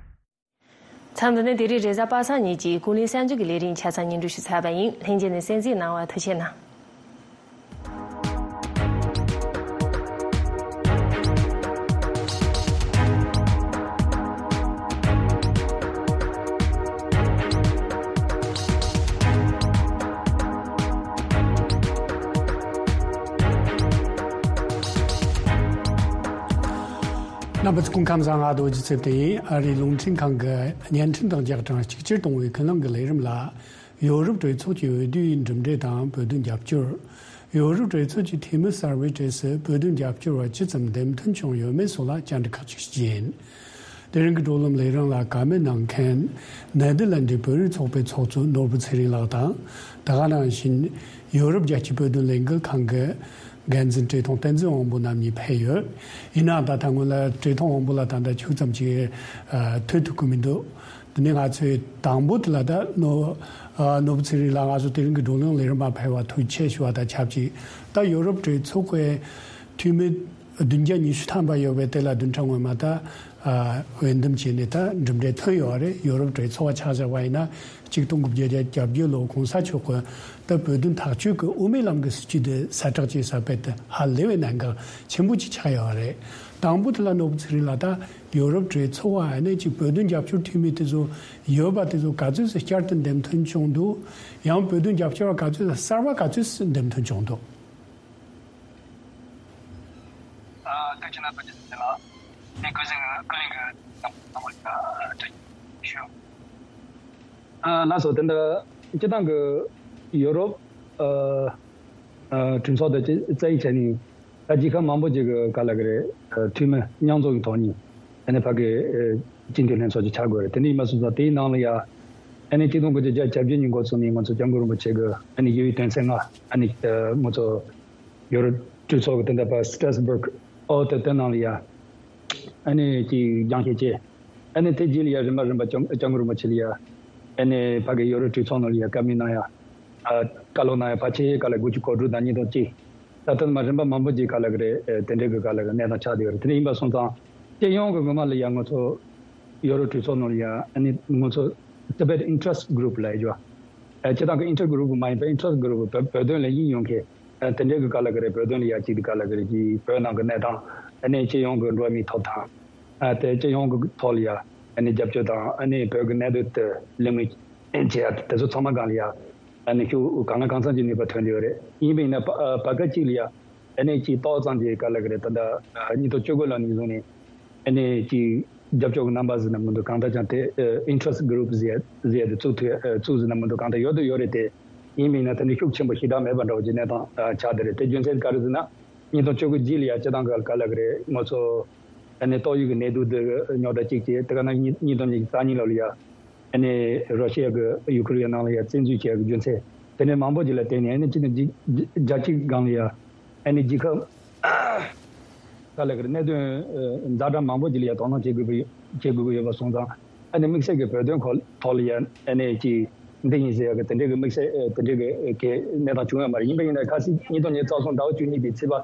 མཚམས་འདི་ནས་དེ་རིང་རེས་གཟའ་པ་སངས་ཉིན་གྱི་ཀུན་གླེང་གསར་འགྱུར་གྱི་ལས་རིམ་ཆ་ཚང་སྙན་སྒྲོན་ཞུས་ཚར་བ་ཡིན། ལྷན་རྒྱས་ནས་གསན་གཟིགས་གནང་བར་ཐུགས་རྗེ་གནང་། རྣམ་པ་ཚོ་སྐུ་ཁམས་བཟང་། ང་རྡོ་རྗེ་ཚེ་བརྟན་ཡིན། ཨ་རིའི་རླུང་འཕྲིན་ཁང་གི་བརྙན་འཕྲིན་དང་རྒྱང་གྲངས་གཅིག་གྱུར་གཏོང་བའི་ཀུན་གླེང་གི་ལས་རིམ་ལ། ཡོ་རོབ་གྲོས་ཚོགས་ཀྱི་འོས་བསྡུའི་གྲུབ་འབྲས་དང་བོད་དོན་རྒྱབ་སྐྱོར། ཡོ་རོབ་གྲོས་ཚོགས་ཀྱི་འཐུས་མི་གསར་པའི་གྲས་སུ་བོད་དོན་རྒྱབ་སྐྱོར་བ་ཇི་ཙམ་འདེམས་ཐོན་བྱུང་ཡོད་མེད་སོགས་ལ་བཅར་འདྲི་ཁག་ཅིག་བྱས་ཡིན། དེ་རིང་གི་བགྲོ་གླེང་ལས་རིམ་ལ་བཀའ་མོལ་གནང་མཁན་ནེ་དར་ལན་ཌི་བོད་རིགས་ཚོགས་པའི་ཚོགས་གཙོ་ནོར་བུ་ཚེ་རིང་ལགས་དང་། ད་ག་ནང་བཞིན་ཡོ་རོབ་རྒྱལ་སྤྱིའི་བོད་དོན་ལས་འགུལ་ཁང་གི་འགན་འཛིན་བཀྲས་མཐོང་བསྟན་འཛིན་དབང་པོ་རྣམ་གཉིས་ཕེབས་ཡོད། ཡིན་ནའང་ད་ལྟ་སྔོན་ལ་བཀྲས་མཐོང་དབང་པོ་ལགས་ད་ལྟ་ཁྱུག་ཙམ་ཅིག་ཨ་ཐུག་ཐུབ་ཀྱི་མི་འདུག་དེ་ནས་ང་ཚོས་དང་པོ་དེ་ལ་ད་ནོ་ཨ་ནོར་བུ་ཚེ་རིང་ལགས་ང་ཚོ་དེ་རིང་གི་བགྲོ་གླེང་ལས་རིམ་མ་ཕེབས་པར་ཐུགས་རྗེ་ཆེ་ཞུ་བ་དང་ཆབས་ཅིག་ད་ཡོ་རོབ་གྲོས་ཚོགས་ཀྱི་འཐུས་མི་བདུན་བརྒྱ་ཉི་ཤུ་ཐམ་པ་ཡོད་པའི་དེ་ལ་བདུན་ཕྲག་སྔོན་མ་ད་ཨ་འོས་འདེམས་བྱས་ནས་ད་གྲུབ་འབྲས་ཐོན་ཡོད་རེད། ཡོ་རོབ་གྲོས་ཚོགས་ཆ་བཞག་པ་ཡིན་ན། གཅིག་སྟོང་དགུ་བརྒྱ་བརྒྱད་ཅུ་གྱ་བརྒྱད་ལོ་གོང་ས་མཆོག་གི་ད་བོད་དོན་ཐག་གཅོད་ཀྱི་དབུ་མའི་ལམ་གྱི་སྲིད་བྱུས་དེ་གསལ་བསྒྲགས་བྱས་ས་བོད་དུ་ཧ་ལས་པའི་གནད་འགག་ཆེན་པོ་ཅིག་ཆགས་ཡོད་རེད། དང་པོ་དེ་ལ་ནོར་བུ་ཚེ་རིང་ལགས་ད་ཡོ་རོབ་གྲོས་ཚོགས་བ་ནས་ཅིག་བོད་དོན་རྒྱབ་སྐྱོར་འཐུས་མི་དེ་ཚོ་ཡོད་པ་དེ་ཚོ་ག་ཚོད་ཙམ་བསྐྱར་དུ་འདེམས་ཐོན་བྱུང་འདུག་ཡང་བོད་དོན་རྒྱབ་སྐྱོར་བ་ག་ཚོད་ཙམ་གསར་བ་ག་ཚོད་ཙམ་འདེམས་ཐོན་བྱུང་འདུག་ཨ་ཐུགས་རྗེ་གནང་། ཐུགས་རྗེ་གནང་། ངས་ཀུན་གཟིགས་ཀུན་གླེང་གི་ནང་ལ་ཞུ། ཨ་ལགས་སོ། དེ་འདྲ་སྤྱི་བཏང་གི་ཡོ་རོབ་ཨ་ཨ་གྲོས་ཚོགས་དང་རྩ་ཡིག་བྱས་ནས་ད་རྒྱལ་ཁབ་མང་པོ་ཅིག་གི་ག་ལ་གི་རེད། ཨ་འཐུས་མི་མཉམ་འཛོམས་ཀྱི་ཐོག་ནས་ཨ་ནི་ཕ་གི་ཨ་སྤྱི་འཐུས་ལྷན་ཚོགས་ཅིག་ཆགས་དགོས་རེད། དེ་འདྲ་ཡིན་པ་སོང་ཙང་དེའི་ནང་ལ་ཡ་ཨ་ནི་གཅིག་སྟོང་དགུ་བརྒྱ་བརྒྱད་ཅུ་གྱ་བརྒྱད་ཉིན་འགོ་བཙུགས་ནས་ང་ཚོ་སྐྱབས་མགོན་རིན་པོ་ཆེ་གི་ཨ་ནི་དབྱེ་བའི་དོན་ཚན་ལྔ་ཨ་ནི་ཨ་ང་ཚོ་ཡོ་རོབ་གྲོས་ཚོགས་ཀྱི་དེ་འདྲ་པ་Strasbourg ཨོ་དེ་དེ་ནང་ལ་ཡ་ཨ་ནི་ཅིག་སྦྱང་བཤད་བྱས། ཨ་ནི་དེ་རྗེས་ལ་ཡ་རིམ་པ་རིམ་པ་སྐྱབས་སྐྱབས་མགོན་རིན་པོ་ཆེ་ལ་ཡ་ཨ་ནི་ཕ་གི་ཡོ་རོབ་གྲོས་ཚོགས་ནང་ལ་ཡ་བཀའ་མོལ་གནང་ཡ། ཨ་བཀའ་སློབ་གནང་ཡ་ཕལ་ཆེར་ག་ལ་དགུ་བཅུ་གོ་དྲུག་དང་ཉིས་སྟོང་གཅིག་ད་ལྟ་མ་རིམ་པ་མང་པོ་ཅིག་ག་ལ་གི་རེད། ཨ་དེ་འདྲའི་གི་ག་ལ་གི་གནས་སྟངས་ཆགས་བསྡད་ཡོད་རེད། དེ་འདྲ་ཡིན་པ་སོང་ཙང་སྤྱི་ཡོངས་ཀྱི་ངོ་མ་ལ་ཡ་ང་ཚོ་ཡོ་རོབ་གྲོས་ཚོགས་ནང་ལ་ཡ་ཨ་ནི་ང་ཚོ་Tibet Interest Group ལབ་ཡ་ཅིག་ཡོད། ཨ་སྤྱི་བཏང་གི་Interest Group མ་ཡིན་པ་Interest Group བོད་བོད་དོན་ལ་དབྱིངས་ཡོད་མཁན་ཨ་དེ་འདྲའི་གི་ག་ལ་གི་རེད། བོད་དོན་ལ་ཡ་གཅིག་དེ་ག་ལ་གི་རེད། ཀྱི་བོད་ནང་གི་གནས་སྟངས་ཨ་ནི་སྤྱི་ཡོངས་གི་འགྲོ་བ་མིའི་ཐོབ་ཐང་ཨ་དེ་སྤྱི་ཡོངས་གི་ཐོག་ལ་ཡ་ཨ་ནི་རྒྱབ་སྐྱོར་དང་ཨ་ནི་བོད་ཀྱི་གནད་དོན་དེ་གླེང་མོལ་བྱེད་ཡ་དེ་ཚོ་ཚང་མ་སྒང་ལ་ཡ་ཨ་ནི་ཁྱོད་གང་ལ་གང་འཚམ་གྱི་ནུས་པ་ཐོན་བསྡད་ཡོད་རེད། ཡིན་པ་ཡིན་ན་བར་བར་སྐབས་གཅིག་ལ་ཡ་ཨ་ནི་ཅིག་ཏོག་ཙམ་གྱི་ག་ལ་གི་རེད། ད་ལྟ་ཉིས་སྟོང་བཅུ་དགུ་ལོ་ནས་བཟུང་ནས་ཨ་ནི་ཅིག་རྒྱབ་སྐྱོར་གྱི་རྣམ་པ་ཟེར་ན་མི་འདུག་གང་ལྟར་ཀྱང་དེ་ཨ་Interest Group ཟེར་ཟེར་དེ་བཙུགས་ཐུབ་ཨ་བཙུགས་ཟེར་ན་མི་འདུག་གང་ལྟར་ཡོད་དུ་ཡོད་རེད་དེ། ཡིན་མིན་ན་དེ་འདྲ་ཤུགས་ཆེན་པོ་ཞེ་དྲག་མེད་པ་འདྲ་བོ་ཅིག་གནས་སྟངས་ཨ་ཆགས་བསྡད་རེད། དེ་རྒྱུ་མཚན་ག་རེ་ཟེར་ན་ཉིས་སྟོང་བཅུ་དགུ་རྗེས་ལ་ཡ་སྤྱི་བཏང་གི་ག་ལ་གི་རེད། ང་ཚོ་ཨ་ནི་ཏོག་དབྱིབས་ཀྱི་ནད་དུག་འདི་རྙོག་དྲ་གཅིག་བྱས། དེ་ག་ན་ཉིས་ཉིས་སྟོང་ཉི་ཤུ་རྩ་གཉིས་ལོ་ལ་ཡ་ཨ་ནི་རོ་ཤི་ཡ་གི་ཡུ་ཁུ་རེན་ནང་ལ་ཡ་བཙན་འཛུལ་བྱས་ཀྱི་རྒྱུ་མཚན་དེ་འདྲའི་མང་པོ་ཅིག་ལ་བརྟེན་ནས་ཨ་ནི་སྤྱི་ཟླ་བརྒྱད་ཅུ་སྒང་ལ་ཡ་ཨ་ནི་རྒྱལ་ཁབ་ག་ལ་གི་རེད། གནད་དོན་ཛ་དྲག་མང་པོ་ཅིག་ལ་ཡ་དོ་སྣང་བྱེད་དགོས་ཀྱི་ཡོད་བྱེད་དགོས་ཀྱི་ཡོད་པ་སོང་ཙང་ཨ་ནི་དམིགས་བསལ་གྱི་བོད་དོན་ཁོ་ཐོག་ལ་ཡ་ཨ་ནི་ཅིག་འདི་ཡིན་ཟེར་ཡ་གི་དེ་འདྲའི་གི་དམིགས་བསལ་དེ་འདྲའི་གི་གི་གནས་སྟངས་བྱུང་ཡོད་མ་རེད། ཡིན་པ་ཡིན་ན་ཁ་སང་ཉིས་སྟོང་ཉི་ཤུ་རྩ་གསུམ་ཟླ་བ་བཅུ་གཉིས་པའི་ཚེས་པ་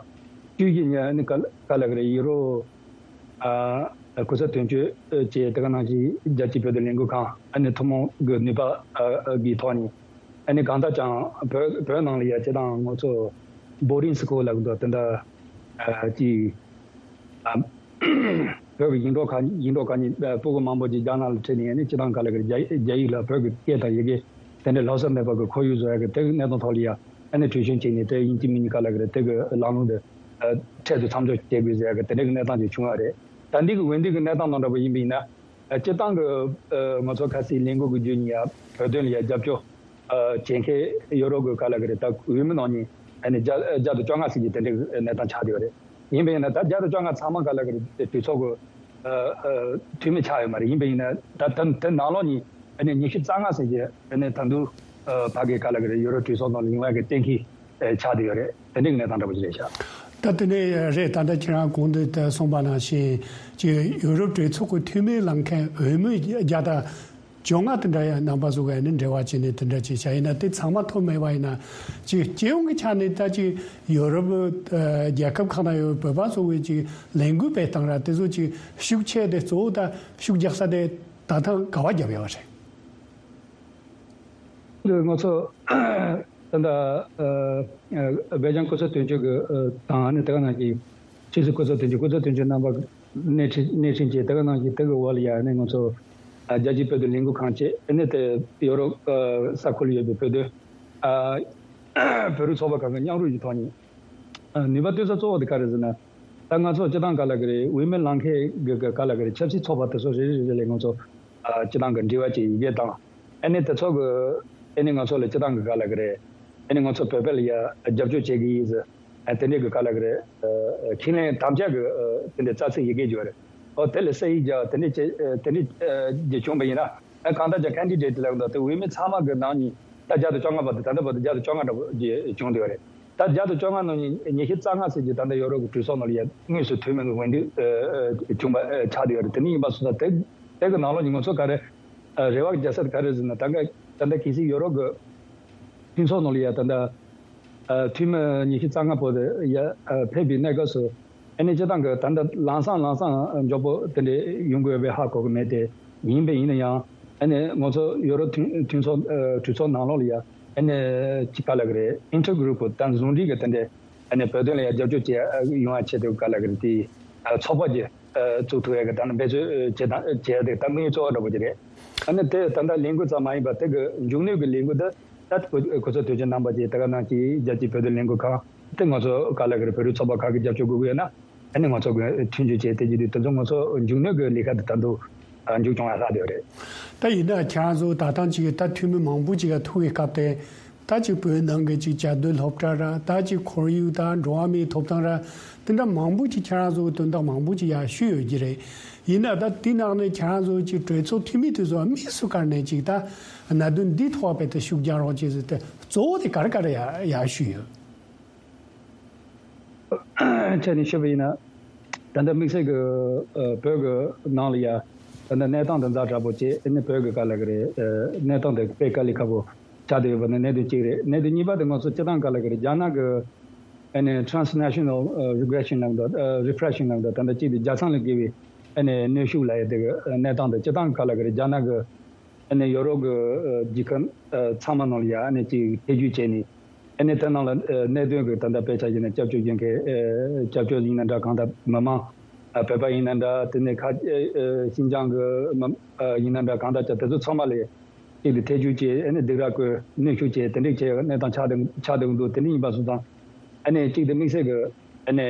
བཅུ་བཞི་ཉིན་ཨ་ནི་ག་ག་ལ་གི་རེད། ཡུ་རོབ་ཨ་གོ་ས་དོན་གཅོད་ཅེས་དེ་ག་ནང་བཞིན་རྒྱལ་སྤྱིའི་བོད་དོན་ལས་འགུལ་ཁང་ཨ་ནི་ཐུན་མོང་གི་ནུས་པ་ཨ་ཨ་གི་ཐོག་ནས་ཨ་ནི་གང་ལྟར་ཀྱང་བོད་བོད་ནང་ལ་ཡ་སྤྱི་བཏང་ང་ཚོ་བྷོ་ཌིང་སི་ཁུལ་ལབ་འདུག་དེ་འདྲ་ཨ་ཅིག་ཨ་བོད་ཀྱི་ཡིག་འབྲོག་ཁག་ཡིག་འབྲོག་ཁག་གཉིས་ཨ་སྤུ་གུ་མང་པོ་ཅིག་རྒྱ་ནག་ལ་ཁྲིད་ནས་ཨ་ནི་སྤྱི་བཏང་ག་ལ་གི་རྒྱ་རྒྱ་ཡིག་ལ་བོད་ཀྱི་སྐད་དང་ཡི་གེ་དེ་འདྲ་ལྷག་བསམ་མེད་པ་གི་ཁོར་ཡུག་བཟོ་ཡ་གི་དེ་གི་གནས་སྟངས་ཐོག་ལ་ཡ་ཨ་ནི་གྲོས་ཆོད་བྱས་ནས་དེ་ཡིན་གཅིག་མིན་གཉིས་ག་ལ་གི་རེད། དེ་གི་ལམ་ལྷོང་དེ་ཨ་འཕྲལ་དུ་མཚམས་འཇོག་བྱེད་དགོས་ཟེར་ཡ་གི་དེ་འདྲ་གི་གནས་སྟངས་ཅིག་བྱུང་བ་རེད། ད་འདི་གི་འོས་འདེམས་ཀྱི་གནས་སྟངས་ནང་འདྲ་པོ་ཡིན་པ་ཡིན་ན། ཨ་སྤྱིར་བཏང་གི་ཨ་ང་ཚོ་ཁ་སའི་ལས་འགུལ་གྱི་བརྒྱུད་ནས་ཡ་བོད་དོན་ལ་ཡ་རྒྱབ་སྐྱོར་ཨ་བྱེད་མཁན་ཡོ་རོབ་ཀྱི་ག་ལ་གི་རེད། ད་འོས་མི་ནང་ནས་ཨ་ནི་བརྒྱ་བརྒྱ་དང་བཅོ་ལྔ་ཙམ་གྱི་དེ་འདྲའི་གནས་སྟངས་ཆགས་བསྡད་ཡོད་རེད། ཡིན་པ་ཡིན་ན་ད་བརྒྱ་དང་བཅོ་ལྔ་ཚང་མ་ག་ལ་གི་རེད། གྲོས་ཚོགས་ཀྱི་ཨ་ཨ་འཐུས་མི་ཆགས་ཡོད་མ་རེད། ཡིན་པ་ཡིན་ན་ད་ད་དེ་ནང་ལོགས་ནས་ཨ་ནི་ཉི་ཤུ་རྩ་ལྔ་ཙམ་གྱི་ཨ་ནི་ད་དུང་ཨ་ཕ་གི་ག་ལ་གི་རེད། ཡོ་རོབ་གྲོས་ཚོགས་ནང་ལ་ཡོང་ཡ་གི་གཏན་འཁེལ་ཨ་ཆགས་བསྡད་ཡོད་རེད། དེ་འདྲའི་གནས་སྟངས་འདྲ་པོ་ཞིག་རེད་ཤག་ད་དེ་ནས་རེད། ད་ལྟ་ཁྱེད་རང་གོང་དུ་ད་གསུངས་པ་ནང་བཞིན་ཅིག་ཡུ་རོབ་གྲོས་ཚོགས་ཀྱི་འཐུས་མི་ལངས་མཁན་འོས་མི་བརྒྱ་དང་བཅོ་ལྔ་དེ་འདྲ་ཡང་རྣམ་པ་ཚོ་ག་ནས་འབྲེལ་བ་བྱས་ནས་དེ་འདྲ་ཅིག་བྱ་ཡིན་ན། དེ་ཚང་མ་ཐོབ་མེད་པ་ཡིན་ན་ཅིག་སྤྱི་ཡོངས་ཀྱི་ཆ་ནས་ད་ཅིག་ཡུ་རོབ་རྒྱལ་ཁབ་ཁག་ནང་ཡོད་བོད་པ་ཚོ་གི་ཅིག་ལས་འགུལ་སྤེལ་སྟངས་ར་དེ་ཚོ་ཅིག་ཤུགས་ཆེ་དེ་གཙོ་བོ་ད་ཤུགས་རྒྱག་ས་དེ་ད་ཐེངས་ག་བ་རྒྱབ་ཡོད་པ་རེད། ང་ཚོ་ད་ལྟ་སྦེལ་ཇམ་སྐུ་ཚབ་དོན་གཅོད་ཀྱི་དང་ནི་དེ་ག་ནང་གི་ཕྱི་སྲིད་སྐུ་ཚབ་དོན་གཅོད་སྐུ་ཚབ་དོན་གཅོད་རྣམ་པ་སྣེ་ཁྲིད་སྣེ་ཁྲིད་བྱས། དེ་ག་ནང་གི་དེ་གི་འོག་ལ་ཡ་ནི་ང་ཚོ་རྒྱལ་སྤྱིའི་བོད་དོན་ལས་འགུལ་ཁང་བཅས་ནི་དེ་ཡོ་རོབ་ས་ཁུལ་ཡོད་པའི་བོད་དོན་བོད་རིགས་ཚོགས་པ་ཁག་གི་མཉམ་རུབ་ཀྱི་ཐོག་ནས་ནུས་པ་བཏོན་ས་གཙོ་བོ་དེ་ག་རེ་ཟེར་ན། ད་ང་ཚོ་སྤྱི་བཏང་ག་ལ་གི་རེད། འོས་མི་ལངས་མཁན་གི་ག་ལ་གི་རེད། ཆབ་སྲིད་ཚོགས་པ་དེ་ཚོ་རེ་རེ་རེ་ལས་ང་ཚོ་སྤྱི་བཏང་གི་འབྲེལ་བ་བྱས་ཡི་གེ་དང་། ཨ་ནི་དེ་ཚོ་གི་ཨ་ནི་ང་ཚོ་ལ་སྤྱི་བཏང་གི་ག་ལ་གི་རེད། ཨ་ནི་ང་ཚོ་བོད་པ་ལ་ཡ་རྒྱབ་སྐྱོར་བྱེད་གི་ཡིན་ཟེར། ཨ་དེ་འདྲའི་གི་ག་ལ་གི་རེད། ཁས་ལེན་དམ་བཅའ་གི་དེ་འདྲའི་རྩ་ཚིག་ཡི་གེ་བརྗོད་རེད། ཨོ་དེ་ལ་ས་ཡིག་རྒྱག་དེ་འདྲའི་བྱེད་དེ་འདྲའི་རྒྱུ་བྱུང་བ་ཡིན་ན། ཨ་གང་ལྟར་ཀྱང་ཁན་ཌི་ཌེ་ཊི་ལབ་འདུག་དེ་འོས་མི་ཚང་མ་གི་ནང་ནས་ད་བརྒྱ་དང་བཅོ་ལྔ་བར་དུ་ད་ལྟ་བར་དུ་བརྒྱ་དང་བཅོ་ལྔ་འདྲ་པོ་ཅིག་བྱུང་བསྡད་ཡོད་རེད། ད་བརྒྱ་དང་བཅོ་ལྔ་ནང་ནས་ཉི་ཤུ་རྩ་ལྔ་ཙམ་ཅིག་ད་ལྟ་ཡོ་རོབ་ཀྱི་གྲོས་ཚོགས་ནང་ལ་ཡ་དངོས་སུ་འཐུས་མི་གི་འོས་འདེམས་བྱུང་བ་ཆགས་བསྡད་ཡོད་རེད། དེ་འདྲ་ཡིན་པ་སོང་ཙང་དེ་དེ་གི་ནང་ལོགས་ནས་ང་ཚོ་ག་རེ་རེ་བ་རྒྱག་ས་དེ་ག་རེ་ཟེར་ན། ད་ག་ད་ལྟ་གལ་སྲིད་ཡོ་རོབ་ཀྱི་མཐུན་ཚོགས་ནང་ལ་ཡ་ད་ལྟ་འཐུས་མི་ཉི་ཤུ་རྩ་ལྔ་པོ་དེ་ཡ་ཕེབས་པའི་གནས་སྐབས་སུ། ཨ་ནི་སྤྱི་བཏང་གི་ད་ལྟ་ལམ་སང་ལམ་སང་མགྱོགས་པོ་དེ་འདྲའི་ཡོང་དགོས་པའི་ཧ་གོ་གི་མེད་དེ། ཡིན་པ་ཡིན་ན་ཡང་ཨ་ནི་ང་ཚོ་ཡོ་རོབ་མཐུན་མཐུན་ཚོགས་གྲོས་ཚོགས་ནང་ལོགས་ལ་ཡ་ཨ་ནི་ཅི་ག་ལ་གི་རེད། ཨིན་ཊར་གུ་རུབ་ད་ཟུང་འབྲེལ་གི་དེ་འདྲའི་ཨ་ནི་བོད་དོན་ལ་ཡ་རྒྱབ་སྐྱོར་བྱེད་ཡོང་བ་ཆེད་དུ་ག་ལ་གི་རེད། དེ་ཚོགས་པ་ཅིག་བཙུགས་ཐུབ་ཡ་གི་ད་ནི་འབད་རྩོལ་བྱེད་དང་བྱེད་ཡ་དེ་ད་དམིགས་ཡུལ་གཙོ་བོ་འདྲ་པོ་ཅིག་རེད། ཨ་ནི་དེ་ད་ལྟ་ལས་འགུལ་ཙམ་མ་ཡིན་པར་དེ་གི་མཇུག་གནོན་གི་ལས་འགུལ་དེ། ད་གོ་གོ་ཚོད་དུས་ཆེན་རྣམ་པ་ཅིག་དེ་ག་ནང་གི་རྒྱལ་སྤྱིའི་བོད་དོན་ལས་འགུལ་ཁང་དེ་ང་ཚོ་ག་ལ་གི་རེད། བོད་རིགས་ཚོགས་པ་ཁག་གི་རྒྱབ་སྐྱོར་དགོས་ཀྱི་ཡོད་ན་ཨ་ནི་ང་ཚོ་གི་མཐུན་སྦྱོར་བྱས་དེ་བྱེད་དུས་དེ་ཚོ་ང་ཚོ་མཇུག་གནོན་གི་ལས་ཀ་དེ་ད་དུང་མཇུག་སྐྱོང་ཡ་ལྷག་བསྡད་ཡོད་རེད། ད་ཡིན་ན་ཁྱེད་རང་ཚོ་ད་ཐེངས་ཅིག་ད་འཐུས་མི་མང་པོ་ཅིག་ག་ཐུག་གི་སྐབས་དེ་ད་ཅིག་བོད་ནང་གི་ཅིག་བཅའ་སྡོད་སློབ་གྲྭ་ར་ད་ཅིག་ཁོར་ཡུག་དང་འགྲོ་བ་མིའི་ཐོབ་ཐང་ར་དེ་འདྲ་མང་པོ་ཅིག་ཁྱེད་རང་ཚོ་གི་དོན་དག་མང་པོ་ཅིག་ཡ་ཞུས་ཡོད་ཀྱི་རེད། ཡིན་ན་ད་དེ་ནང་ནས་ཁྱེད་རང་ཚོ་ཅིག་གྲོས་ཚོགས་འཐུས་མི་དེ་ཚོ་དམིགས་སུ་བཀར་ནས་ཅིག་ད་གནད་དོན་འདི་ཐོག་བེད་དུ་ཤུགས་རྒྱག་རོགས་བྱེད་ཟེར་ཏེ་གཙོ་བོ་དེ་ག་རེ་ག་རེ་ཡ་ཡ་ཞུས་ཡོད། ཁྱེད་ནས་ཞུས་པ་ཡིན་ན། ད་ལྟ་དམིགས་བསལ་གྱི་ཨ་བོད་ཀྱི་ནང་ལ་ཡ་ད་ལྟ་གནས་སྟངས་དེ་ཛ་དྲག་པོ་བྱས་ཨ་ནི་བོད་ཀྱི་ག་ལ་གི་རེད། ཨ་གནས་སྟངས་དེ་དཔེ་དཀའ་ལས་ཁག་པོ་ཆགས་བསྡད་ཡོད་པ་ནི་གནད་དོན་གཅིག་རེད། གནད་དོན་གཉིས་པ་དེ་ང་ཚོ་སྤྱི་བཏང་ག་ལ་གི་རེད། རྒྱ་ནག་གི་ཨ་ནི་transnational regression ལབ་འདུག་ཨ་regression ལབ་འདུག་ད་ལྟ་གཅིག་དེ་རྒྱལ་མཚམས་ལས་བརྒལ་བའི་ཨ་ནི་གནོན་ཤུགས་ལབ་ཡ་དེ་གི་གནས་སྟངས་དེ་སྤྱི་བཏང་ག་ལ་གི་རེད། རྒྱ་ནག་གི་ཨ་ནི་ཡོ་རོབ་ཀྱི་ཨ་རྒྱལ་ཁབ་ཨ་ཚང་མ་ནང་ལ་ཡ་ཨ་ནི་ཅིག་ཐེ་བྱུས་བྱས་ནས་ཨ་ནི་དེ་ནང་ལ་ཨ་གནད་དོན་གྱི་ད་ལྟ་དཔེ་ཆ་བཞག་ན་སྐྱབས་བཅོལ་བྱེད་མཁན་ཨ་སྐྱབས་བཅོལ་ཡིན་ན་འདྲ། གང་ལྟར་མི་མང་ཨ་བོད་པ་ཡིན་ན་འདྲ། དེ་ནས་ཁ་ཨ་ཨ་ཤིན་ཅང་གི་མི་ཨ་ཡིན་ན་འདྲ། གང་ལྟར་ཀྱང་དེ་ཚོ་ཚང་མ་ལ་གཅིག་ཏུ་ཐེ་བྱུས་བྱས་ཨ་ནི་སྡིགས་ར་བསྐུལ་གནོན་ཤུགས་བྱས་དེ་འདྲ་བྱས་གནས་སྟངས་ཆགས་བསྡད་ཆགས་བསྡད་འདུག་དེ་འདྲ་ཡིན་པ་སོང་ཙང་ཨ་ནི་གཅིག་ཏུ་དམིགས་བསལ་གྱི་ཨ་ནི།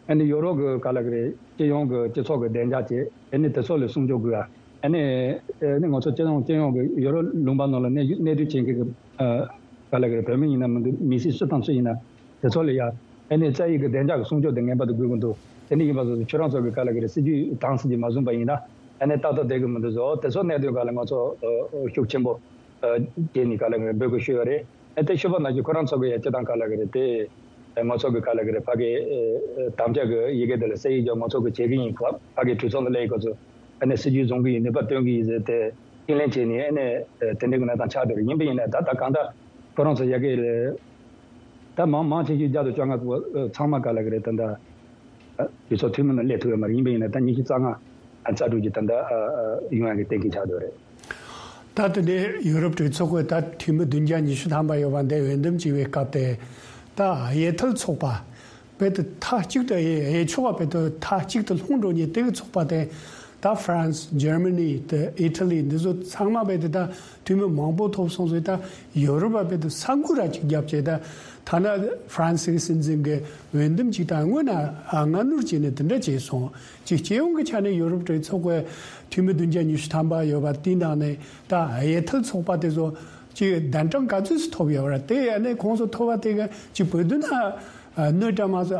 ཨ་ནི་ཡོ་རོབ་ཀྱི་ག་ལ་གི་རེད། སྤྱི་ཡོངས་ཀྱི་སྤྱི་ཚོགས་ཀྱི་བདེ་འཇགས་བཅས་ཨ་ནི་དེ་ཚོ་ལ་སྲུང་སྐྱོབ་དགོས། ཨ་ནི་ཨ་ནི་ང་ཚོ་སྤྱི་ཡོངས་སྤྱི་ཡོངས་ཀྱི་ཡོ་རོབ་ལུང་པ་ནང་ལ་གནས་གནས་སྡོད་བྱེད་མཁན་གྱི་ཨ་ག་ལ་གི་རེད། བོད་མི་ཡིན་ན་མི་འདུག་མི་སེར་སུ་དང་སུ་ཡིན་ན་དེ་ཚོ་ལ་ཡ་ཨ་ནི་རྩ་བའི་གི་བདེ་འཇགས་ཀྱི་སྲུང་སྐྱོབ་དེ་ངེས་པར་དུ་དགོས་ཀྱི་འདུག་དེ་འདྲ་ཡིན་པ་སོང་ཙང་ཁྱོད་རང་ཚོ་གི་ག་ལ་གི་རེད། སྲིད་ཇུས་དྭངས་སིང་ཅིག་མ་བཟུང་པ་ཡིན་ན་ཨ་ནི་ཏག་ཏག་བསྡད་ཀྱི་མི་འདུག་ཟེར། དེ་ཚོ་གནད་དོན་སྒང་ལ་ང་ཚོ་ཨ་ཤུགས་ཆེན་པོ་ཨ་བྱས་ནས་ག་ལ་གི་རེད་འབོད་སྐུལ་ཞུས་ཡོད་རེད། ཨ་དེ་ཞུས་པ་ནང་བཞིན་ཁོ་རང་ཚོ་གི་ཡ་སྤྱི་བཏང་ག་ལ་གི་རེད་དེ། ཨ་ང་ཚོ་གི་ག་ལ་གི་རེད། ཕ་གི་ཨ་དམ་བཅའ་གི་ཡི་གེ་དེ་ལ་ས་ཡིག་རྒྱག་ང་ཚོ་གི་བྱེད་ཀྱི་ཡིན། ཕ་ཕ་གི་གྲོས་ཚོགས་ནང་སླེབས་ཁོ་ཚོ་ཨ་ནི་སྲིད་ཇུས་བཟུང་གི་ཡིན། ནུས་པ་བཏོན་གི་ཡིན་ཟེར་ཏེ་ཁས་ལེན་བྱས་ནས་ཨ་ནི་ཨ་དེ་འདྲའི་གི་གནས་སྟངས་ཆགས་བསྡད་རེད། ཡིན་པ་ཡིན་ན་ད་ད་གང་ལྟར་ཁོ་རང་ཚོ་ཡ་གི་ལ་ད་མང་མང་ཆེ་ཤོས་བརྒྱ་དང་བཅོ་ལྔ་པོ་ཚང་མ་ག་ལ་གི་རེད། ད་ད་ཨ་གྲོས་ཚོགས་འཐུས་མི་ནང་སླེབས་ཐུབ་ཡོད་མ་རེད། ཡིན་པ་ཡིན་ན་ད་ཉི་ཤུ་རྩ་ལྔ་ཨ་རྩ་དྲུག་ཅིག་ད་ད་ཨ་ཨ་ཡོང་ཡ་གི་གཏན་འཁེལ་ཆགས་བསྡད་རེད། ད་དེ་ནས་ཡུ་རོབ་གྲོས་ཚོགས་ཀྱི་ད་འཐུས་མི་བདུན་བརྒྱ་ཉི་ཤུ་ཐམ་པ་ཡོད་པ་འདི་འོས་འདེམས་བྱས་པའི་སྐབས་དེ་ད་གཡས་ཐལ་ཚོགས་པ་བེད་དུ་མཐའ་གཅིག་ཏུ་གཡས་གཡས་ཕྱོགས་པ་བེད་དུ་མཐའ་གཅིག་ཏུ་ལྷུང་འགྲོ་མཁན་དེ་གི་ཚོགས་པ་དེ་ད་ཧྥ་རན་སི། འཇར་མ་ནི། དེ་ཨི་ཊ་ལི། འདི་ཚོ་ཚང་མ་བེད་དུ་ད་འཐུས་མི་མང་པོ་ཐོབ་སོང་ཟེར། ད་ཡུ་རོབ་པ་བེད་དུ་ས་འགུལ་ར་གཅིག་བརྒྱབ་བྱས། ད་ཐ་ན་ཧྥ་རན་སི་གི་སྲིད་འཛིན་གྱི་འོས་འདེམས་གཅིག་ད་སྔོན་ན་ཨ་སྔ་སྣུར་བྱས་ནས་དེ་འདྲ་བྱས་སོང་། ཅིག་སྤྱི་ཡོངས་ཀྱི་ཆ་ནས་ཡུ་རོབ་གྲོས་ཚོགས་ཀྱི་འཐུས་མི་བདུན་བརྒྱ་ཉི་ཤུ་ཐམ་པ་ཡོད་པ་དེའི་ནང་ནས་ད་གཡས་ཐལ་ཚོགས་པ་དེ་ཚོ་ཅིག་གདན་གྲངས་ག་ཚོད་ཙམ་ཐོབ་ཡོད་པ་རེད། དེ་ཨ་ནི་ཁོང་ཚོ་ཐོབ་པ་དེ་ག་ཅིག་བོད་དོན་ལ་གནོད་འགྲོ་མ་ཟད་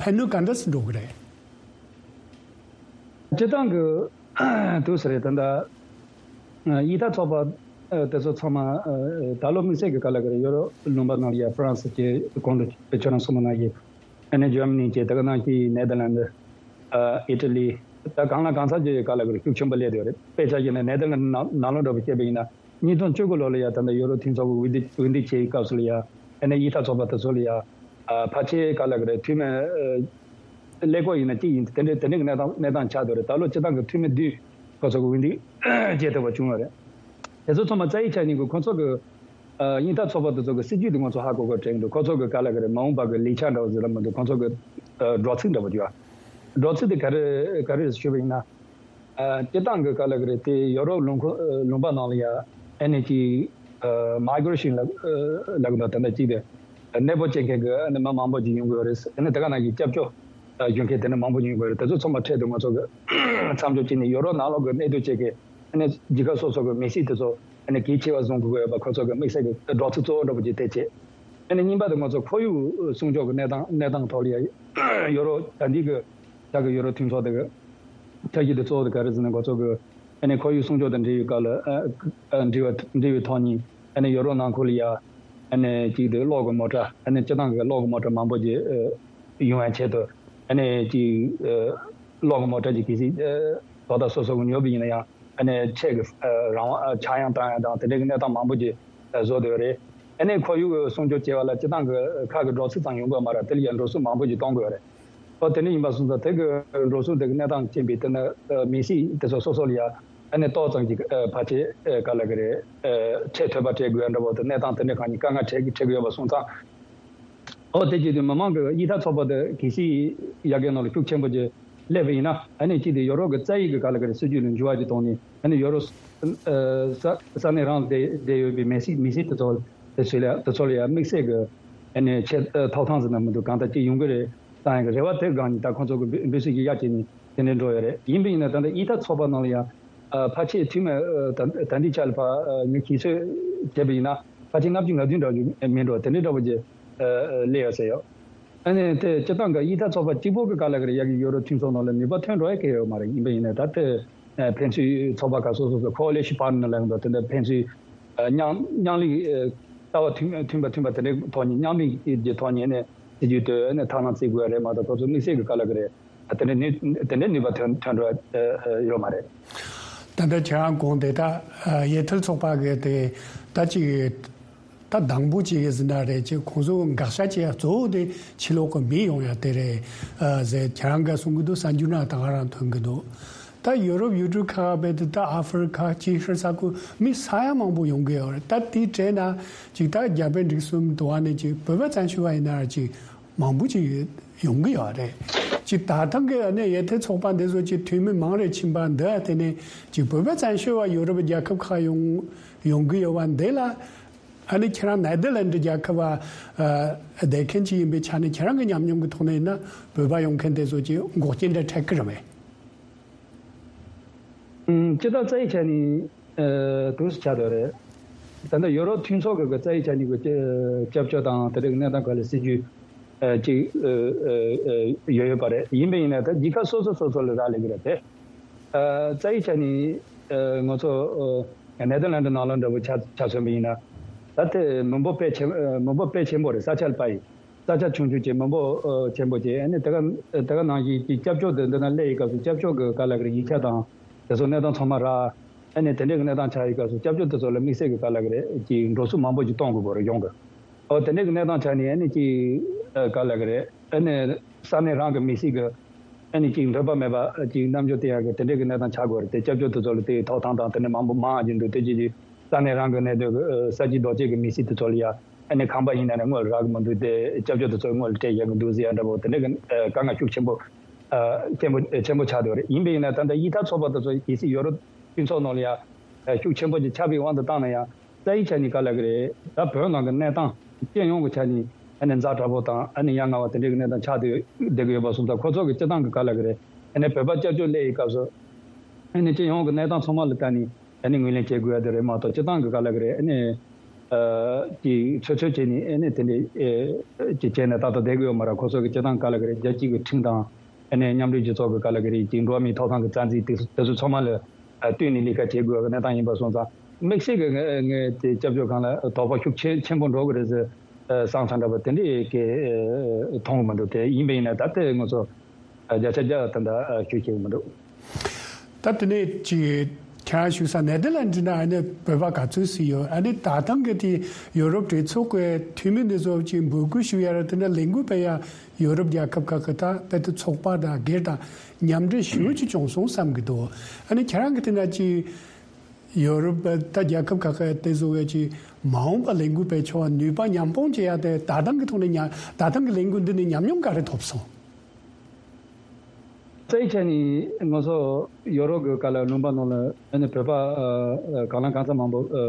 ཕན་གནོད་ག་འདྲ་ཙམ་འགྲོ་གི་རེད། སྤྱི་བཏང་གི་དུས་སུ་རེད། ད་ལྟ་གཡས་ཐལ་ཚོགས་པ་དེ་ཚོ་ཚང་མ་ད་ལོ་དམིགས་བསལ་གྱི་ག་ལ་གི་རེད། ཡོ་རོབ་ལུང་པ་ནང་ལ་ཡ་ཧྥ་རན་སི་གི་གོང་དུ་ཁྱོད་རང་གསུངས་པ་ནང་བཞིན། ཨ་ནི་འཇར་མ་ནི་བཅས་དེ་ག་ནང་བཞིན་ནེ་དར་ལན་ཌི། ཨ་ཨི་ཊ་ལི། ད་གང་ལ་གང་འཚམ་གྱི་ག་ལ་གི་རེད་ཤུགས་ཆེན་པོ་སླེབས་ཡོད་རེད། དཔེ་ཆ་བཞག་ན་ནེ་དར་ལན་ཌི་ནང་ནང་ལོགས་འདྲ་པོ་བཤད་པ་ཡིན་ན་ཉིས་སྟོང་བཅུ་དགུ་ལོ་ལ་ཡ་ད་ལྟ་ཡོ་རོབ་མཐུན་ཚོགས་ཀྱི་འོས་བསྡུ་འོས་བསྡུ་བྱེད་ཡི་སྐབས་སུ་ལ་ཡ་ཨ་ནི་དབྱིན་ཐ་ཚོགས་པ་དེ་ཚོ་ལ་ཡ་ཨ་ཕལ་ཆེར་ག་ལ་གི་རེད་འཐུས་མི་ཨ་ཀླད་ཀོར་ཡིན་ན་གཅིག་ཡིན་དེ་འདྲའི་དེ་འདྲའི་གི་གནས་སྟངས་གནས་སྟངས་ཆགས་འདུག་རེད། ད་ལོ་སྤྱི་བཏང་གི་འཐུས་མི་བདུན་ཁོ་ཚོ་གི་འོས་བསྡུ་བྱེད་ཐུབ་པ་བྱུང་ཡོད་རེད། དེ་ཚོ་ཚང་མ་རྩ་ཡི་ཆ་ནས་གི་ཁོ་ཚོ་གི་ཨ་དབྱིན་ཐ་ཚོགས་པ་དེ་ཚོ་གི་སྲིད་ཇུས་དེ་ང་ཚོ་ཧ་གོ་གི་དྲན་འདུག་ཁོ་ཚོ་གི་ག་ལ་གི་རེད་མ་འོངས་པ་གི་ལས་འཆར་འདྲ་བོ་ཟེར་ལ་མི་འདུག་ཁོ་ཚོ་གི་ཨ་འགྲོ་ཚིག་འདྲ་བོ་ཅིག་ཡོད། འགྲོ་ཚིག་དེ་ག་རེ་ག་རེ་ཞུས་པ་ཡིན་ན། ཨ་སྤྱི་བཏང་གི་ག་ལ་གི་རེད་དེ་ཡོ་རོབ་ལུང་ཁོ་ཨ་ལུང་པ་ནང་ལ་ཡ་ཨ་ནི་ཅིག་ཨ་མའི་གྷི་རེ་ཤན་ལ་ཨ་ལབ་གི་འདུག་ད་ལྟ་ཅིག་དེ་གནས་སྤོ་བྱེད་མཁན་གི་ཨ་ནི་མི་མང་པོ་ཅིག་ཡོང་གི་ཡོད་རེད། ཨ་ནི་དེ་ག་ནང་བཞིན་སྐྱབས་བཅོལ་ཨ་ཞུ་མཁན་དེ་ནི་མང་པོ་ཡོང་གི་ཡོད་རེད། དེ་ཚོ་ཚང་མ་ཁྲལ་དུ་ང་ཚོ་གི་མཚམས་འཇོག་བྱས་ནས་ཡོ་རོབ་ནང་ལོགས་གི་གནས་སྡོད་བྱེད་མཁན་ཨ་ནི་རྒྱལ་ཁབ་སོ་སོ་གི་མི་སེར་དེ་ཚོ་ཨ་ནི་གལ་ཆེ་བ་བཟུང་དགོས་ཡོད་པ་ཁོ་ཚོ་གི་དམིགས་བསལ་གི་སྒྲོག་ཚིག་གཙོ་བོ་འདྲ་པོ་ཅིག་དེ་བྱས། ཨ་ནི་གཉིས་པ་དེ་ང་ཚོ་ཁོར་ཡུག་སྲུང་སྐྱོབ་ཀྱི་གནས་སྟངས་གནས་སྟངས་ཐོག་ལ་ཡ་ཡོ་རོབ་ད་ལྟའི་གི་ད་གི་ཡོ་རོབ་མཐུན་ཚོགས་དེ་གི་འཆར་གཞི་དེ་གཙོ་བོ་དེ་ག་རེ་ཟེར་ན་ང་ཚོ་གི་ཨ་ནི་ཁོར་ཡུག་སྲུང་སྐྱོབ་དང་འབྲེལ་བའི་སྐབས་ལ་ཨ་ཨ་འབྲེལ་བ་འབྲེལ་བའི་ཐོག་ནས་ཨ་ནི་ཡོ་རོབ་ནང་ཁུལ་ལ་ཡ་ཨ་ནི་གཅིག་དེ་གློག་གི་མོ་ཊ་ཨ་ནི་སྤྱི་བཏང་གི་གློག་གི་མོ་ཊ་མང་པོ་ཅིག་ཨ་ཡོང་ཡ་ཆེད་དུ་ཨ་ནི་གཅིག་ཨ་གློག་གི་མོ་ཊ་ཅིག་གལ་སྲིད་ཨ་དོ་བདག་སོ་སོ་གི་ཉོ་བ་ཡིན་ན་ཡང་། ཨ་ནི་ཆེད་ཀྱི་ཨ་རང་དབང་ཨ་ཆག་ཡང་བཏང་ཡང་དང་དེ་འདྲའི་གི་གནས་སྟངས་མང་པོ་ཅིག་ཨ་བཟོ་བསྡད་ཡོད་རེད། ཨ་ནི་ཁོར་ཡུག་སྲུང་སྐྱོབ་བྱེད་པ་ལ་སྤྱི་བཏང་གི་ཁག་གི་འགྲོ་ཚིག་ཙམ་ཡོང་གི་མ་རེད། དེ་ལ་ཡང་འགྲོ་སོང་མང་པོ་ཅིག་གཏོང་དགོས་རེད། ཨོ་དེ་འདྲ་ཡིན་པ་སོང་ཙང་དེ་གི་འགྲོ་སོང་དེ་གི་གནས་སྟངས་ཅན་པའི་དེ་ནི་ཨ་མི་སེར་དེ་ཚོ་སོ་སོ་ལ་ཡང་ཨ་ནི་ཏོག་ཙམ་ཅིག་ཨ་ཕལ་ཆེར་ཨ་ག་ལ་གི་རེད་ཨ་ཁྲལ་ཐོལ་པ་སྤྲད་དགོས་ཡ་འདྲ་པོ་དེ་གནས་སྟངས་དེ་འདྲ་གང་ཡིན་དཀའ་ངལ་འཕྲད་ཀྱི་འཕྲད་གི་ཡོད་པ་སོང་ཙང་། ཨོ་དེ་བྱེད་དུས་མི་མང་གི་དབྱིན་ཐ་ཚོགས་པ་དེ་གལ་སྲིད་ཡ་གའི་ནང་ལ་ཤུགས་ཆེན་པོ་ཅིག་སླེབས་པ་ཡིན་ན་ཨ་ནི་གཅིག་དེ་ཡོ་རོབ་ཀྱི་རྩ་ཡིག་གི་ག་ལ་ག་རེ་སྲིད་ཇུས་ལ་འགྱུར་བ་ཅིག་གཏོང་ནས་ཨ་ནི་ཡོ་རོབ་ས་ས་གནས་རང་ལ་བསྡད་བསྡད་ཡོད་པའི་མི་སེར་མི་སེར་དེ་ཚོ་དེ་ཚོ་ལ་དེ་ཚོ་ལ་ཡང་དམིགས་བསལ་གྱི་ཨ་ནི་ཆེད་ཐོབ་ཐང་ཟེར་ན་མི་འདུག་གང་ལྟར་ཅིག་ཡོང་གི་རེད་བསམ་ཡག་གི་རེ་བ་དེ་སྒང་ནས་ད་ཁོང་ཚོ་གི་འབོད་འབོད་སྲིད་ཀྱི་ཡ་བྱས་ནས་དེ་འདྲ་འགྲོ་ཡོད་རེད། ཡིན་པ་ཡིན་ན་ད་ལྟ་དབྱིན་ཐ་ཚོགས་པ་ནང་ལ་ཡང་ཨ་ཕལ་ཆེར་འཐུས་མི་ཨ་ད་ད་ལྟའི་ཆ་ལ་ཕ་ཨ་ངས་ཤེས་ཚོད་བྱས་པ་ཡིན་ན་ཕལ་ཆེར་ལྔ་བཅུ་ང་བདུན་འདྲ་ཅིག་མིན་འགྲོ་དེ་འདྲའི་འདྲ་པོ་ཅིག་ཨ་ཨ་སླེབས་ཡོད་ཟེར་ཡོད། ཨ་ནི་དེ་སྤྱིར་བཏང་གི་དབྱིན་ཐ་ཚོགས་པ་གཅིག་པོ་གི་ག་ལ་གི་རེད་ཡ་གི་ཡོ་རོབ་མཐུན་ཚོགས་ནང་ལ་ནུས་པ་ཐོན་འགྲོ་ཡ་གི་ཡོད་མ་རེད། ཡིན་པ་ཡིན་ན་ད་དེ་ཨ་ཕན་ཚུན་ཚོགས་པ་ཁག་སོ་སོ་སོ་coalition partner་ལབ་འདུག་དེ་འདྲ་ཕན་ཚུན་ཨ་མཉམ་མཉམ་ལས་ཨ་ལྟ་བ་མཐུན་མཐུན་པ་མཐུན་པ་དེ་འདྲའི་ཐོག་ནས་མཉམ་ལས་ཀྱི་ཐོག་ནས་ཨ་ནི་སྲིད་ཇུས་དེ་ཨ་ནི་ཐབས་ལམ་བརྩི་དགོས་རེད་མ་གཏོགས་ཁོ་ཚོ་དམིགས་བསལ་གི་ག་ལ་གི་རེད། དེ་འདྲའི་ནུས་དེ་འདྲའི་ནུས་པ་ཐོན་ཐོན་འགྲོ་ཡ་ཡོད་མ་རེད། ད་ལྟ་ཁྱེད་རང་གོང་དེ་དག་ཡ་ཐལ་ཚོགས་པ་གི་དེ་ད་ཅིག་ད་དང་པོ་ཅིག་གི་ཟིན་ན་རེད་ཅེས་ཁོང་ཚོ་དགག་བྱ་བྱེད་ཡ་གཙོ་བོ་དེ་ཕྱི་ལོགས་ཀྱི་མི་ཡོང་ཡ་དེ་རེད་ཨ་ཟེར་ཁྱེད་རང་ག་གསུང་གི་འདུག་གསར་འགྱུར་ནང་ད་ག་རང་ཐོན་གི་འདུག་ད་ཡོ་རོབ་ཡུལ་གྲུ་ཁག་བས་དེ་ད་ཨ་ཧྥེ་རི་ཁ་ཅིག་ཧྲི་ས་ཁུལ་མི་ས་ཡ་མང་པོ་ཡོང་གི་ཡོད་རེད། ད་དེའི་གྲས་ན་ཅིག་ད་རྒྱ་བལ་འབྲུག་གསུམ་དུ་བ་ནས་ཅིག་བོད་པ་བཙན་བྱོལ་བ་ཡིན་ན་ར་ཅིག་མང་པོ་ཅིག་ཡོད་ཡོང་གི་ཡོད་རེད། ཅིག་ད་ཐེངས་ཀྱི་ཨ་ནི་ཡ་ཐལ་ཚོགས་པ་འདི་ཚོ་ཅིག་འཐུས་མི་མང་རེ་ཕྱིན་པ་འདི་ཨ་དེ་ནས་ཅིག་བོད་པ་བཙན་བྱོལ་བ་ཡོ་རོབ་རྒྱལ་ཁབ་ཁག་ཡོང་ཡོང་གི་ཡོད་པ་འདི་ལ་ཨ་ནི་ཁྱེད་རང་ནེ་དར་ལན་ཌི་རྒྱལ་ཁབ་བ་ཨ་བསྡད་མཁན་ཅིག་ཡིན་པའི་ཆ་ནས་ཁྱེད་རང་གི་ཉམས་མྱོང་གི་ཐོག་ནས་ཡིན་ན་བོད་པ་ཡོང་མཁན་དེ་ཚོ་ཅིག་འགོག་རྐྱེན་འདྲ་འཕྲད་ཀྱི་རེད་པས། ཨུམ། སྤྱིར་བཏང་རྩ་ཡི་ཆ་ནས་ཨ་དུས་སུ་ཆགས་འདུག་རེད། ད་ལྟ་ཡོ་རོབ་མཐུན་ཚོགས་ཀྱི་རྩ་ཡི་ཆ་ནས་ཀྱི་སྐྱབས་བཅོལ་དང་དེ་འདྲའི་གནས་སྟངས་སྒང་ལ་སྲིད་ཇུས་ཨ་ཅིག་ཨ་ཨ་ཨ་ཡོད་ཡོད་པ་རེད། ཡིན་པ་ཡིན་ན་ད་རྒྱལ་ཁབ་སོ་སོ་སོ་སོ་ལ་རག་ལས་ཀྱི་རེད་དེ། ཨ་རྩ་ཡི་ཆ་ནས་ཨ་ང་ཚོ་ཨ་ནེ་དར་ལན་ཌི་ནང་ལོགས་འདྲ་པོ་ཆ་ཆ་མཚོན་པ་ཡིན་ན་ད་དེ་མི་འབོར་དཔེ་ཆེན་ཨ་མི་འབོར་དཔེ་ཆེན་པོ་རེད། ས་ཆ་ལ་དཔག་ཡིན། ས་ཆ་ཆུང་ཆུང་བྱས་མི་འབོར་ཨ་ཆེན་པོ་བྱས་ཨ་ནི་དེ་ག་དེ་ག་ནང་བཞིན་གྱི་སྐྱབས་བཅོལ་དུ་འདི་ན་སླེབས་ཡི་སྐབས་སུ་སྐྱབས་བཅོལ་གྱི་ག་ལ་གི་ཡིག་ཆ་དང་དེ་ཚོ་གནས་སྟངས་ཚང་མ་རག་ཨ་ནི་དེ་འདྲའི་གི་གནས་སྟངས་ཆགས་ཡི་སྐབས་སུ་སྐྱབས་བཅོལ་དེ་ཚོ་ལ་དམིགས་བསལ་གྱི་ག་ལ་གི་རེད་ཀྱི་འགྲོ་སོང་མང་པོ་ཞིག་གཏོང་དགོས་པ་རེད་གཞུང་གི། ཨོ་དེ་འདྲའི་གི་གནས་སྟངས་ཆགས་ནས་ཨ་ནི་ཀྱི་ཨ་ག་ལ་གི་རེད་ཨ་ནི་ས་གནས་རང་གི་མི་སེར་གི་ཨ་ནི་ཀྱི་འདོད་པ་མེད་པ་ཀྱི་རྣམ་འགྱུར་སྟོན་ཡག་གི་དེ་འདྲའི་གི་གནས་སྟངས་ཆགས་དགོས་རེད་དེ། སྐྱབས་བཅོལ་དེ་ཚོ་ལ་དེའི་ཐོབ་ཐང་དང་དེ་འདྲ་མང་པོ་མང་བ་ཅིག་འདུག་དེ་ཅིག་གིས་ས་གནས་རང་གི་གནས་སྡོད་ཀྱི་ཨ་ས་ཆའི་རྡོ་གཅལ་གྱི་མི་སེར་དེ་ཚོ་ལ་ཡ་ཨ་ནི་ཁང་པ་ཡིན་ན་ནི་དངུལ་རག་གི་མི་འདུག་དེ་སྐྱབས་བཅོལ་དེ་ཚོ་དངུལ་སྤྲད་ཡག་གི་འདུག་ཟེར་ཡ་འདྲ་པོ་དེ་འདྲ་གི་ཨ་དཀའ་ངལ་ཤུགས་ཆེན་པོ་ཨ་ཆེན་པོ་ཨ་ཆེན་པོ་ཆགས་བསྡད་པ་རེད། ཡིན་པས་ཡིན་ན་ད་ལྟ་དབྱིན་ཐ་ཚོགས་པ་དེ་ཚོ་གལ་སྲིད་ཡོ་རོབ་སྤྱི་ཚོགས་ནང་ལ་ཡ་ཨ་ཤུགས་ཆེན་པོ་ཅིག་ཆགས་པའི་དབང་དུ་བཏང་ན་ཡང་རྩ་ཡི་ཆ་ནས་ག་ལ་གི་རེད། ད་བོད་ནང་གི་གནས་སྟངས་སྤྱི་ཡོངས་ཀྱི་ཆ་ནས་ཨ་ནི་ཛ་དྲག་པོ་དང་ཨ་ནི་ཡ་ང་བ་དེ་འདྲའི་གི་གནས་སྟངས་ཆགས་བསྡད་ཡོད་བསྡད་ཀྱི་ཡོད་པ་སོང་ཙང་ཁོ་ཚོ་གི་སྤྱི་བཏང་གི་ག་ལ་གི་རེད། ཨ་ནི་བོད་པ་སྐྱབས་བཅོལ་སླེབས་ཡི་སྐབས་སུ་ཨ་ནི་སྤྱི་ཡོངས་ཀྱི་གནས་སྟངས་ཚང་མ་ལ་ལྟ་ནས། ཨ་ནི་ངོས་ལེན་བྱེད་དགོས་ཡ་དེ་རེད་མ་གཏོགས་སྤྱི་བཏང་གི་ག་ལ་གི་རེད། ཨ་ནི་ཨ་ཅིག་ཚོད་ཚོད་བྱས་ནས་ཨ་ནི་དེ་འདྲའི་ཨེ་ཅིག་བྱས་ནས་ཏག་ཏག་བསྡད་གི་ཡོད་མ་རེད། ཁོ་ཚོ་གི་སྤྱི་བཏང་ག་ལ་གི་རེད། རྒྱལ་སྤྱི་གི་ཁྲིམས་དང་ཨ་ནི་མཉམ་འབྲེལ་རྒྱལ་ཚོགས་གི་ག་ལ་གི་རེད་ཅིག་འགྲོ་བ་མིའི་ཐོབ་ཐང་གི་རྩ་འཛིན་དེ་དེ་ཚོ་ཚང་མ་ལ་ཨ་བསྟུན་ནས་ལས་ཀ་བྱེད་དགོས་ཡ་གི་གནས་སྟངས་ཡིན་པ་སོང་ཙང་དམིགས་བསལ་གི་ངས་ངས་དེ་སྐྱབས་བཅོལ་ཁང་ལ་དོགས་པ་ཤུགས་ཆེ་ཆེན་པོ་འགྲོ་གི་རེད་ཟེར། ཨ་ས་ཆ་འདྲ་པོ་དེ་འདྲའི་གི་ཨ་མཐོང་གི་མི་འདུག་དེ་ཡིན་པ་ཡིན་ན་ད་ལྟའི་ང་ཚོ་ཨ་བརྒྱ་ཆ་བརྒྱ་ད་ལྟ་ཨ་ཤུགས་ཆེ་གི་མི་འདུག་ད་དེ་ནས་ཅིག་ཁྱེད་རང་ཞུ་ས་ནེ་དར་ལན་འདི་ན་ཨ་ནི་བོད་པ་ག་ཚོད་ཞིག་ཡོད། ཨ་ནི་ད་ཐེངས་ཀྱི་དེ་ཡོ་རོབ་གྲོས་ཚོགས་ཀྱི་འཐུས་མི་འདི་ཚོ་ཅིག་འབོད་སྐུལ་ཞུ་ཡ་ར་དེ་འདྲ་ལས་འགུལ་སྤེལ་ཡ་ཡོ་རོབ་རྒྱལ་ཁབ་ཁག་གི་ད་དཔེ་དེ་ཚོགས་པ་དང་སྒེར་དང་མཉམ་འབྲེལ་ཞུ་ཅིག་བྱུང་སོང་བསམ་གི་འདུག་ཨ་ནི་ཁྱེད་རང་གི་དེ་ན་ཅིག་ཡོ་རོབ་ད་རྒྱལ་ཁབ་ཁག་གི་དེ་བཟོ་བའི་ཅིག་མ་འོངས་པ་ལས་འགུལ་སྤེལ་ཆོག་ནུས་པ་མཉམ་སྤུངས་བྱེད་ཡ་དེ་ད་ཐེངས་ཀྱི་ཐོག་ནས་ཉ་ད་ཐེངས་ཀྱི་ལས་འགུལ་འདི་ནས་ཉམས་མྱོང་ག་རེ་ཐོབ་སོང་། རྩ་བའི་ཆ་ནས་ང་ཚོ་ཡོ་རོབ་ཀྱི་ག་ལ་ལུང་པ་ནང་ལ་ཨ་ནི་བོད་པ་ཨ་ཨ་གང་ལ་གང་འཚམ་མང་པོ་ཨ་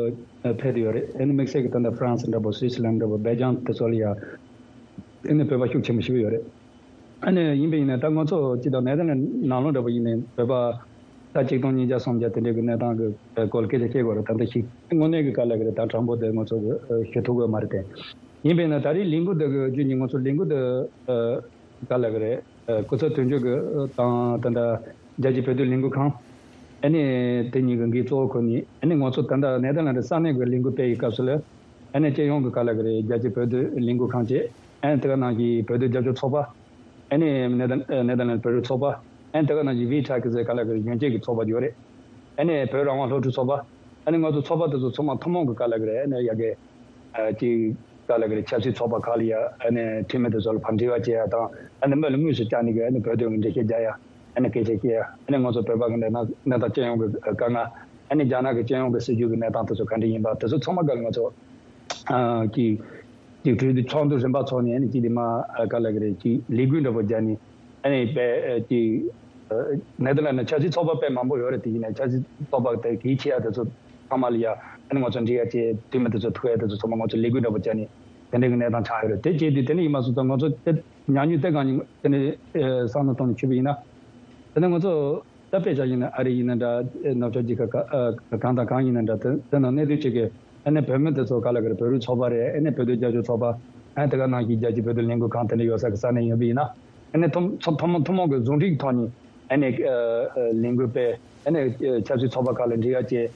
ཨ་ཕེབས་ཡོད་རེད། ཨ་ནི་དམིགས་བསལ་གྱི་ད་ལྟ་ཧྥ་རན་སི་འདྲ་པོ་སུད་སི་ལན་འདྲ་པོ་སྦེལ་ཇམ་དེ་ཚོ་ལ་ཡ་ཨ་ནི་བོད་པ་ཤུགས་ཆེན་པོ་ཞིག་ཡོད་རེད། ཨ་ནི་ཡིན་པ་ཡིན་ན་ད་ང་ཚོ་སྤྱི་དང་ནེ་དར་ལན་ནང་ལོགས་འདྲ་པོ་ཡིན་ནའི་བོད་པ་ད་ཆིག་སྟོང་ཉིས་བརྒྱ་སུམ་བརྒྱ་དེ་འདྲའི་གི་གནས་སྟངས་ཀྱི་སྐོར་སྐད་ཆ་བཤད་དགོས་རེད། ད་ལྟ་ཞིག་དངོས་གནས་ཀྱི་ག་ལ་གི་རེད་ད་དྲང་པོ་དེ་ང་ཚོ་གི་ཞུ་ཐུབ་ཀྱི་མ་རེད་དེ། ཡིན་པས་ན་ད་རེས་ལས་འགུལ་འདི་གི་རྒྱུ་ནི་ང་ཚོ་ལས་འགུལ་འདི་ག་ལ་གི་རེད། སྐུ་ཚབ་དོན་གཅོད་ཀྱི་དང་ད་ལྟ་རྒྱལ་སྤྱིའི་བོད་དོན་ལས་འགུལ་ཁང་ཨ་ནི་དེ་གཉིས་ཀྱི་འགན་གཙོ་བོ་ཁུར་ནས་ཨ་ནི་ང་ཚོ་ད་ལྟ་ནེ་དར་ལན་ཌི་ས་གནས་ཀྱི་ལས་འགུལ་སྤེལ་ཡི་སྐབས་སུ་ལ་ཨ་ནི་སྤྱི་ཡོངས་ཀྱི་ག་ལ་གི་རེད་རྒྱལ་སྤྱིའི་བོད་དོན་ལས་འགུལ་ཁང་བཅས་ཨ་ནི་དེ་ག་ནང་གི་བོད་དོན་རྒྱབ་སྐྱོར་ཚོགས་པ་ཨ་ནི་ནེ་དར་ནེ་དར་ལན་ཌི་བོད་རིགས་ཚོགས་པ་ཨ་ནི་དེ་ག་ནང་གི་ཝི་ཊེག་ཟེར་ག་ལ་གི་རེད་གཞོན་སྐྱེས་ཀྱི་ཚོགས་པ་ཡོད་རེད། ཨ་ནི་བོད་རང་དབང་སློབ་ཕྲུག་ཚོགས་པ་ཨ་ནི་ང་ཚོ་ཚོགས་པ་དེ་ཚོ་ཚང་མ་ཐུན་མོང་གི་ག་ལ་གི་རེད་ཨ་ནི་ཡ་གི་ཨ་ཅིག་ག་ལ་གི་རེད་ཆབ་སྲིད་ཚོགས་པ་ཁག་ལ་ཡ་ཨ་ནི་འཐུས་མི་དེ་ཚོ་ལ་ཕར་འབྲེལ་བ་བྱེད་ཡ་དང་ཨ་ནི་མི་ལ་དངོས་སུ་བཅར་ནས་གི་ཨ་ནི་བོད་དོན་གི་འགྲེལ་བཤད་རྒྱག་ཡ་ཨ་ནི་སྐད་ཆ་བཤད་ཡ་ཨ་ནི་ང་ཚོ་བོད་པ་གི་གནས་སྟངས་གནས་སྟངས་སྤྱི་ཡོངས་གི་དཀའ་ངལ་ཨ་ནི་རྒྱ་ནག་གི་སྤྱི་ཡོངས་གི་སྲིད་བྱུས་གི་གནས་སྟངས་དེ་ཚོ་ག་འདྲ་ཡིན་པ་དེ་ཚོ་ཚང་མ་ག་ལ་ང་ཚོ་ཨ་ཅིག་ཅིག་གྲོས་བསྡུར་ཚོགས་འདུ་རིམ་པ་ཚོགས་ནས་ཨ་ནི་ཅིག་དེ་མ་ཨ་ག་ལ་གི་རེད་ཅིག་ལས་འགུལ་འདྲ་པོ་རྒྱག་ནས་ཨ་ནི་དཔེ་ཨ་ཅིག་ཨ་ནེ་དར་ལན་ཌི་ཆབ་སྲིད་ཚོགས་པ་དཔེ་མང་པོ་ཡོད་རེད། དེ་ཡིན་ནའི་ཆབ་སྲིད་ཚོགས་པ་དེ་གལ་ཆེ་ཡ་དེ་ཚོ་ཚང་མ་ལ་ཡ་ཨ་ནི་ང་ཚོ་འབྲེལ་ཡ་བྱས་འཐུས་མི་དེ་ཚོ་ཐུག་ཡ་དེ་ཚོ་ཚང་མ་ང་ཚོ་ལས་འགུལ་འདྲ་པོ་བྱས་ནས་དེ་འདྲའི་གི་གནས་སྟངས་ཆགས་ཡོད་རེད། དེ་བྱས་དུས་དེ་འདྲ་ཡིན་པ་སོང་ཙང་ང་ཚོ་དེ་ཉམས་མྱོང་དེ་གང་ཡིན་དེ་འདྲའི་ཨ་བསམ་བློ་གཏོང་ནས་ཆུད་པ་ཡིན་ན་དེ་ནས་ང་ཚོ་ད་དཔེ་ཆ་ཡིན་ན་ཨ་རི་ཡིན་ན་འདྲ་ནུབ་ཕྱོགས་རྒྱལ་ཁབ་ཨ་གང་དང་གང་ཡིན་ན་འདྲ་དེ་དེ་ནང་གནས་སྡོད་བྱེད་མཁན་ཨ་ནི་བོད་མི་དེ་ཚོ་ག་ལ་གི་རེད་བོད་རིགས་ཚོགས་པ་རེད། ཨ་ནི་བོད་དོན་རྒྱབ་སྐྱོར་ཚོགས་པ་ཨ་ནི་དེ་ག་ནང་བཞིན་རྒྱལ་སྤྱིའི་བོད་དོན་ལས་འགུལ་ཁང་དེ་འདྲ་ཡོད་ས་གི་ས་གནས་ཡིན་པ་ཡིན་ན་ཨ་ནི་ཐུན་ཚོ་ཐུན་མོང་ཐུན་མོང་གི་ཟུང་འབྲེལ་གྱི་ཐོག་ནས་ཨ་ནི་ཨ་ཨ་ལས་འགུལ་སྤེལ་ཨ་ནི་ཨ་ཆབ་སྲིད་ཚོགས་པ་ཁག་ལ་འབྲེལ་ཡོད་བྱས་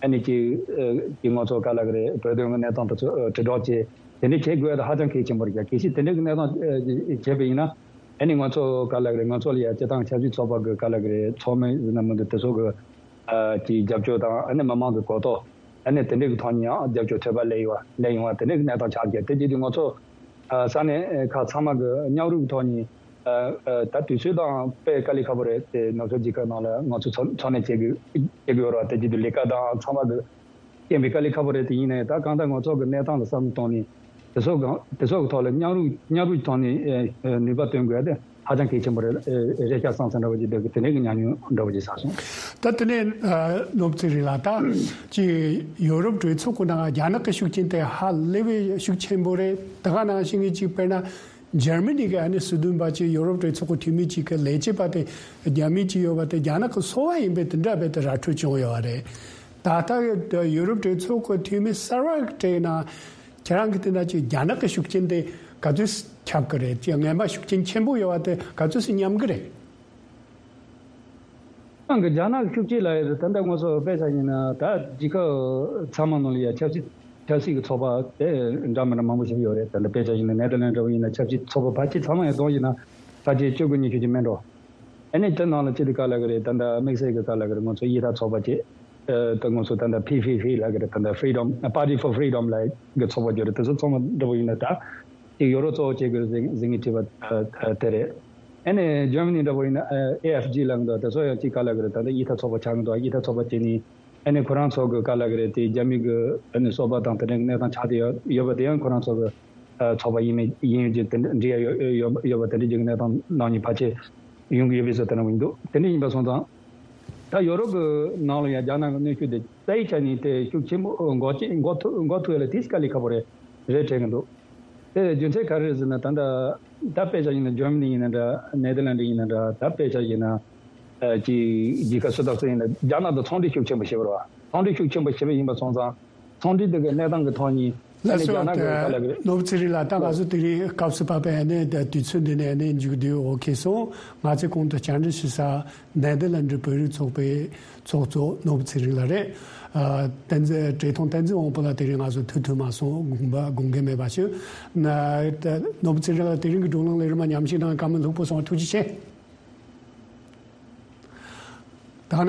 ཨ་ནི་ཅིག་ཨ་ཅིག་ང་ཚོ་ག་ལ་གི་རེད་བོད་དོན་གི་གནས་སྟངས་དེ་ཚོ་ཨ་དྲིལ་སྒྲོག་བྱས་དེ་འདྲ་བྱེད་དགོས་ཡ་དེ་ཧ་ཅང་གལ་ཆེན་པོ་རེད། གལ་སྲིད་དེ་འདྲ་གི་གནས་སྟངས་ཨ་བྱས་པ་ཡིན་ན་ཨ་ནི་ང་ཚོ་ག་ལ་གི་རེད་ང་ཚོ་ལ་ཡ་སྤྱི་བཏང་ཆབ་སྲིད་ཚོགས་པ་གི་ག་ལ་གི་རེད་ཚོགས་མི་ཡིན་ན་མི་འདུག་དེ་ཚོ་གི་ཨ་ཅིག་རྒྱབ་སྐྱོར་དང་ཨ་ནི་མི་མང་གི་གོ་རྟོགས་ཨ་ནི་དེ་འདྲའི་གི་ཐོག་ནས་ཡང་རྒྱབ་སྐྱོར་ཐོལ་པ་སླེབས་ཡོང་བ་སླེབས་ཡོང་བ་དེ་འདྲའི་གི་གནས་སྟངས་ཆགས་ཀྱི་དེ་བྱེད་དུས་ང་ཚོ་ཨ་ས་གནས་ཁག་ཚང་མ་གི་མཉམ་རུབ་ཀྱི་ཐོག་ནས་ཨ་ཨ་ད་དུས་ཚོད་དང་དཔེ་དཀའ་ལས་ཁག་པོ་རེད་དེ་ནུབ་ཕྱོགས་རྒྱལ་ཁབ་ནང་ལ་ང་ཚོ་འཚོ་འཚོ་གནས་བྱེད་དགོས་བྱེད་དགོས་རེད་བ། དེ་བྱེད་དུས་ལས་ཀ་དང་ཚང་མ་གི་རྐྱེན་པས་དཀའ་ལས་ཁག་པོ་རེད། དེ་ཡིན་ནའི་ད་གང་ལྟར་ང་ཚོ་གི་གནས་སྟངས་ལ་བསམ་བློ་གཏོང་ནས་དེ་ཚོ་གང་དེ་ཚོ་གི་ཐོག་ལ་མཉམ་རུབ་མཉམ་རུབ་ཀྱི་ཐོག་ནས་ཨ་ཨ་ནུས་པ་བཏོན་དགོས་ཡ་དེ་ཧ་ཅང་གལ་ཆེན་པོ་རེད། ཨ་རེད་ཤག་བསམ་བསམ་འདྲ་བོ་ཅིག་འདུག་གི་དེ་འདྲའི་གི་ཉམས་མྱོང་འདྲ་བོ་ཅིག་བསགས་སོང་། ད་དེ་ནས་ཨ་ནོར་བུ་ཚེ་རིང་ལགས་ད་ཅིག་ཡོ་རོབ་གྲོས་ཚོགས་ཀྱི་ནང་རྒྱ་ནག་གི་ཤུགས་རྐྱེན་དེ་ཧ་ལས་པའི་ཤུགས་ཆེན་པོ་རེད། ད་ག་ནང་བཞིན་གྱི་ཅིག་དཔེར་ན། འཇར་མ་ནི་གི་ཨ་ནི་སྲིད་དོན་པ་ཅིག་ཡོ་རོབ་གྲོས་ཚོགས་ཀྱི་འཐུས་མི་ཅིག་གི་ལས་བྱེད་པ་དེ་རྒྱ་མི་ཅིག་ཡོད་པ་དེ་རྒྱ་ནག་གི་སོ་པ་ཡིན་པའི་དེ་འདྲ་བས་དེ་ར་འཕྲོད་བྱུང་ཡོད་པ་རེད། ད་ལྟ་ཡོད་ཡོ་རོབ་གྲོས་ཚོགས་ཀྱི་འཐུས་མི་གསར་པ་གྲས་ནང་ཁྱེད་རང་གི་དེ་འདྲ་ཅིག་རྒྱ་ནག་གི་ཤུགས་རྐྱེན་དེ་ག་ཚོད་ཁྱབ་ཀྱི་རེད། ཅིག་ངན་པ་ཤུགས་རྐྱེན་ཆེན་པོ་ཡོད་པ་དེ་ག་ཚོད་སྙམ་གྱི་རེད། ནང་གི་རྒྱ་ནག་གི་ཤུགས་རྐྱེན་ལ་ཡོད་དེ་ད་ལྟ་ང་ཚོ་དཔེ་ཆ་ཡིན་ན་ད་རྒྱལ་ཁབ་ཚང་མ་ནང་ལ་ཡ་ཆབ་སྲིད་ཆབ་སྲིད་ཀྱི་ཚོགས་པ་དེ་འདྲ་མི་འདྲ་མང་པོ་ཞིག་ཡོད་རེད། ད་ལྟ་དཔེ་ཆ་ཡིན་ན་ནེ་དར་ལན་འདྲ་བོ་ཡིན་ན་ཆབ་སྲིད་ཚོགས་པ་ཕལ་ཆེར་ཚང་མ་ཡང་གཏོང་ཡིན་ན་ཕལ་ཆེར་བཅུ་དགུ་ཉི་ཤུ་ཅིག་མིན་འགྲོ། ཨ་ནི་དེ་ནང་ལ་ཅི་སྟེ་ག་ལ་གི་རེད། ད་ལྟ་དམིགས་བསལ་གྱི་ག་ལ་གི་རེད། ང་ཚོ་ཡིག་ཐག་ཚོགས་པ་ཅིག་ཨ་ད་ང་ཚོ་ད་ལྟ་ཕི་ཕི་ཕི་ལ་གི་རེད། ད་ལྟ་Freedom Party for Freedom་ལ་གི་ཚོགས་པ་ཅིག་རེད། དེ་ཚོ་ཚང་མ་འདྲ་བོ་ཡིན་ན་ད་ཅིག་ཡོ་རོབ་གཙོ་བོ་བྱེད་དགོས་ཟིན་ཟིན་གི་བྲིས་པ་དེ་རེད། ཨ་ནི་ཇར་མ་ནི་འདྲ་བོ་ཡིན་ན་ཨེ་ཨེ་ཨེཕ་ཇི་ལ་གི་འདུག་དེ་ཚོ་ཡང་ཅིག་ག་ལ་གི་རེད། ད་ལྟ་ཡིག་ཐག་ཚོགས་པ་ཆགས་གི་འདུག་ཡིག་ཐག་ཚོགས་པ་བྱས་ནི་ཨ་ནི་ཁོ་རང་ཚོ་གི་ག་ལ་གི་རེད། དེ་རྒྱ་མི་གི་ཨ་ནི་སོ་པ་དང་དེ་འདྲའི་གནས་སྟངས་ཆགས་བསྡད་ཡོད་ཡོད་པ་དེ་ཡང་ཁོ་རང་ཚོ་གི་ཨ་ཚོགས་པ་ཡིན་མིན་ཡིན་ཡོད་ཀྱི་དེ་འདྲ་འདྲི་ཡ་ཡོད་ཡོད་ཡོད་པ་དེ་འདྲ་ཅིག་གི་གནས་སྟངས་ནང་ནས་ཕལ་ཆེར་ཡོང་གི་ཡོད་པའི་བཟོ་ལྟ་ན་ཡིན་འདུག་དེ་འདྲ་ཡིན་པ་སོང་ཙང་ད་ཡོ་རོབ་གི་ནང་ལ་ཡང་རྒྱ་ནག་གི་གནོན་ཤུགས་དེ་རྩ་བའི་ཆ་ནས་དེ་ཤུགས་ཆེན་པོ་འགོག་ཆེ་འགོག་ཐུབ་འགོག་ཐུབ་ཡ་ལ་དེ་དཀའ་ལས་ཁག་པོ་རེད་རེད་དྲན་གི་འདུག་དེ་རྒྱུ་མཚན་ག་རེ་རེད་ཟེར་ན་ད་ལྟ་ད་དཔེ་ཆ་ཡིན་ན་ཇར་མ་ནི་ཡིན་ན་འདྲ། ནེ་དར་ལན་ཌི་ཡིན་ན་འདྲ། ད་དཔེ་ཆ་ཡིན་ན་ཨ་ཅིག་རྒྱལ་ཁབ་སུ་དང་སུ་ཡིན་ན་རྒྱ་ནག་དང་ཚོང་འབྲེལ་ཤུགས་ཆེན་པོ་བྱེད་པ་རེད་བ། ཚོང་འབྲེལ་ཤུགས་ཆེན་པོ་བྱེད་པ་ཡིན་པ་སོང་ཙང་ཚོང་འབྲེལ་དེ་གི་གནས་སྟངས་ཀྱི་ཐོག་ནས་ ལགས་སོ། རྒྱ་ནག་གི་ད་ལགས་ཀྱི་རེད། ནོར་བུ་ཚེ་རིང་ལགས། ད་ང་ཚོ་དེ་རིང་སྐབས་སུ་བབས་པའི་ཨ་ནི་ད་དུས་ཚོད་འདི་ནས་ཨ་ནི་མཇུག་བསྡུའི་འོ་ཁེ་སོང་། ང་ཚོས་གོང་དུ་བཅར་འདྲི་ཞུ་ས་ནེ་དར་ལན་ཌི་བོད་རིགས་ཚོགས་པའི་ཚོགས་གཙོ་ནོར་བུ་ཚེ་རིང་ལགས་རེད། ཨ། བསྟན་འཛིན། བཀྲས་མཐོང་བསྟན་འཛིན་དབང་པོ་ལགས་དེ་རིང་ང་ཚོ་ཐུགས་མཐུན་མ་སོང་། དགོངས་པ་དགོངས་འགལ་མེད་པ་ཞུ། ན། ད་ནོར་བུ་ཚེ་རིང་ལགས་དེ་རིང་གི་བགྲོ་གླེང་ལས་རིམ་མཉམ་ཞུགས་གནང་བཀའ་མོལ་ལྷུག་པོ་གསུངས། ཐུགས་རྗེ་ཆེ། ད་ནང་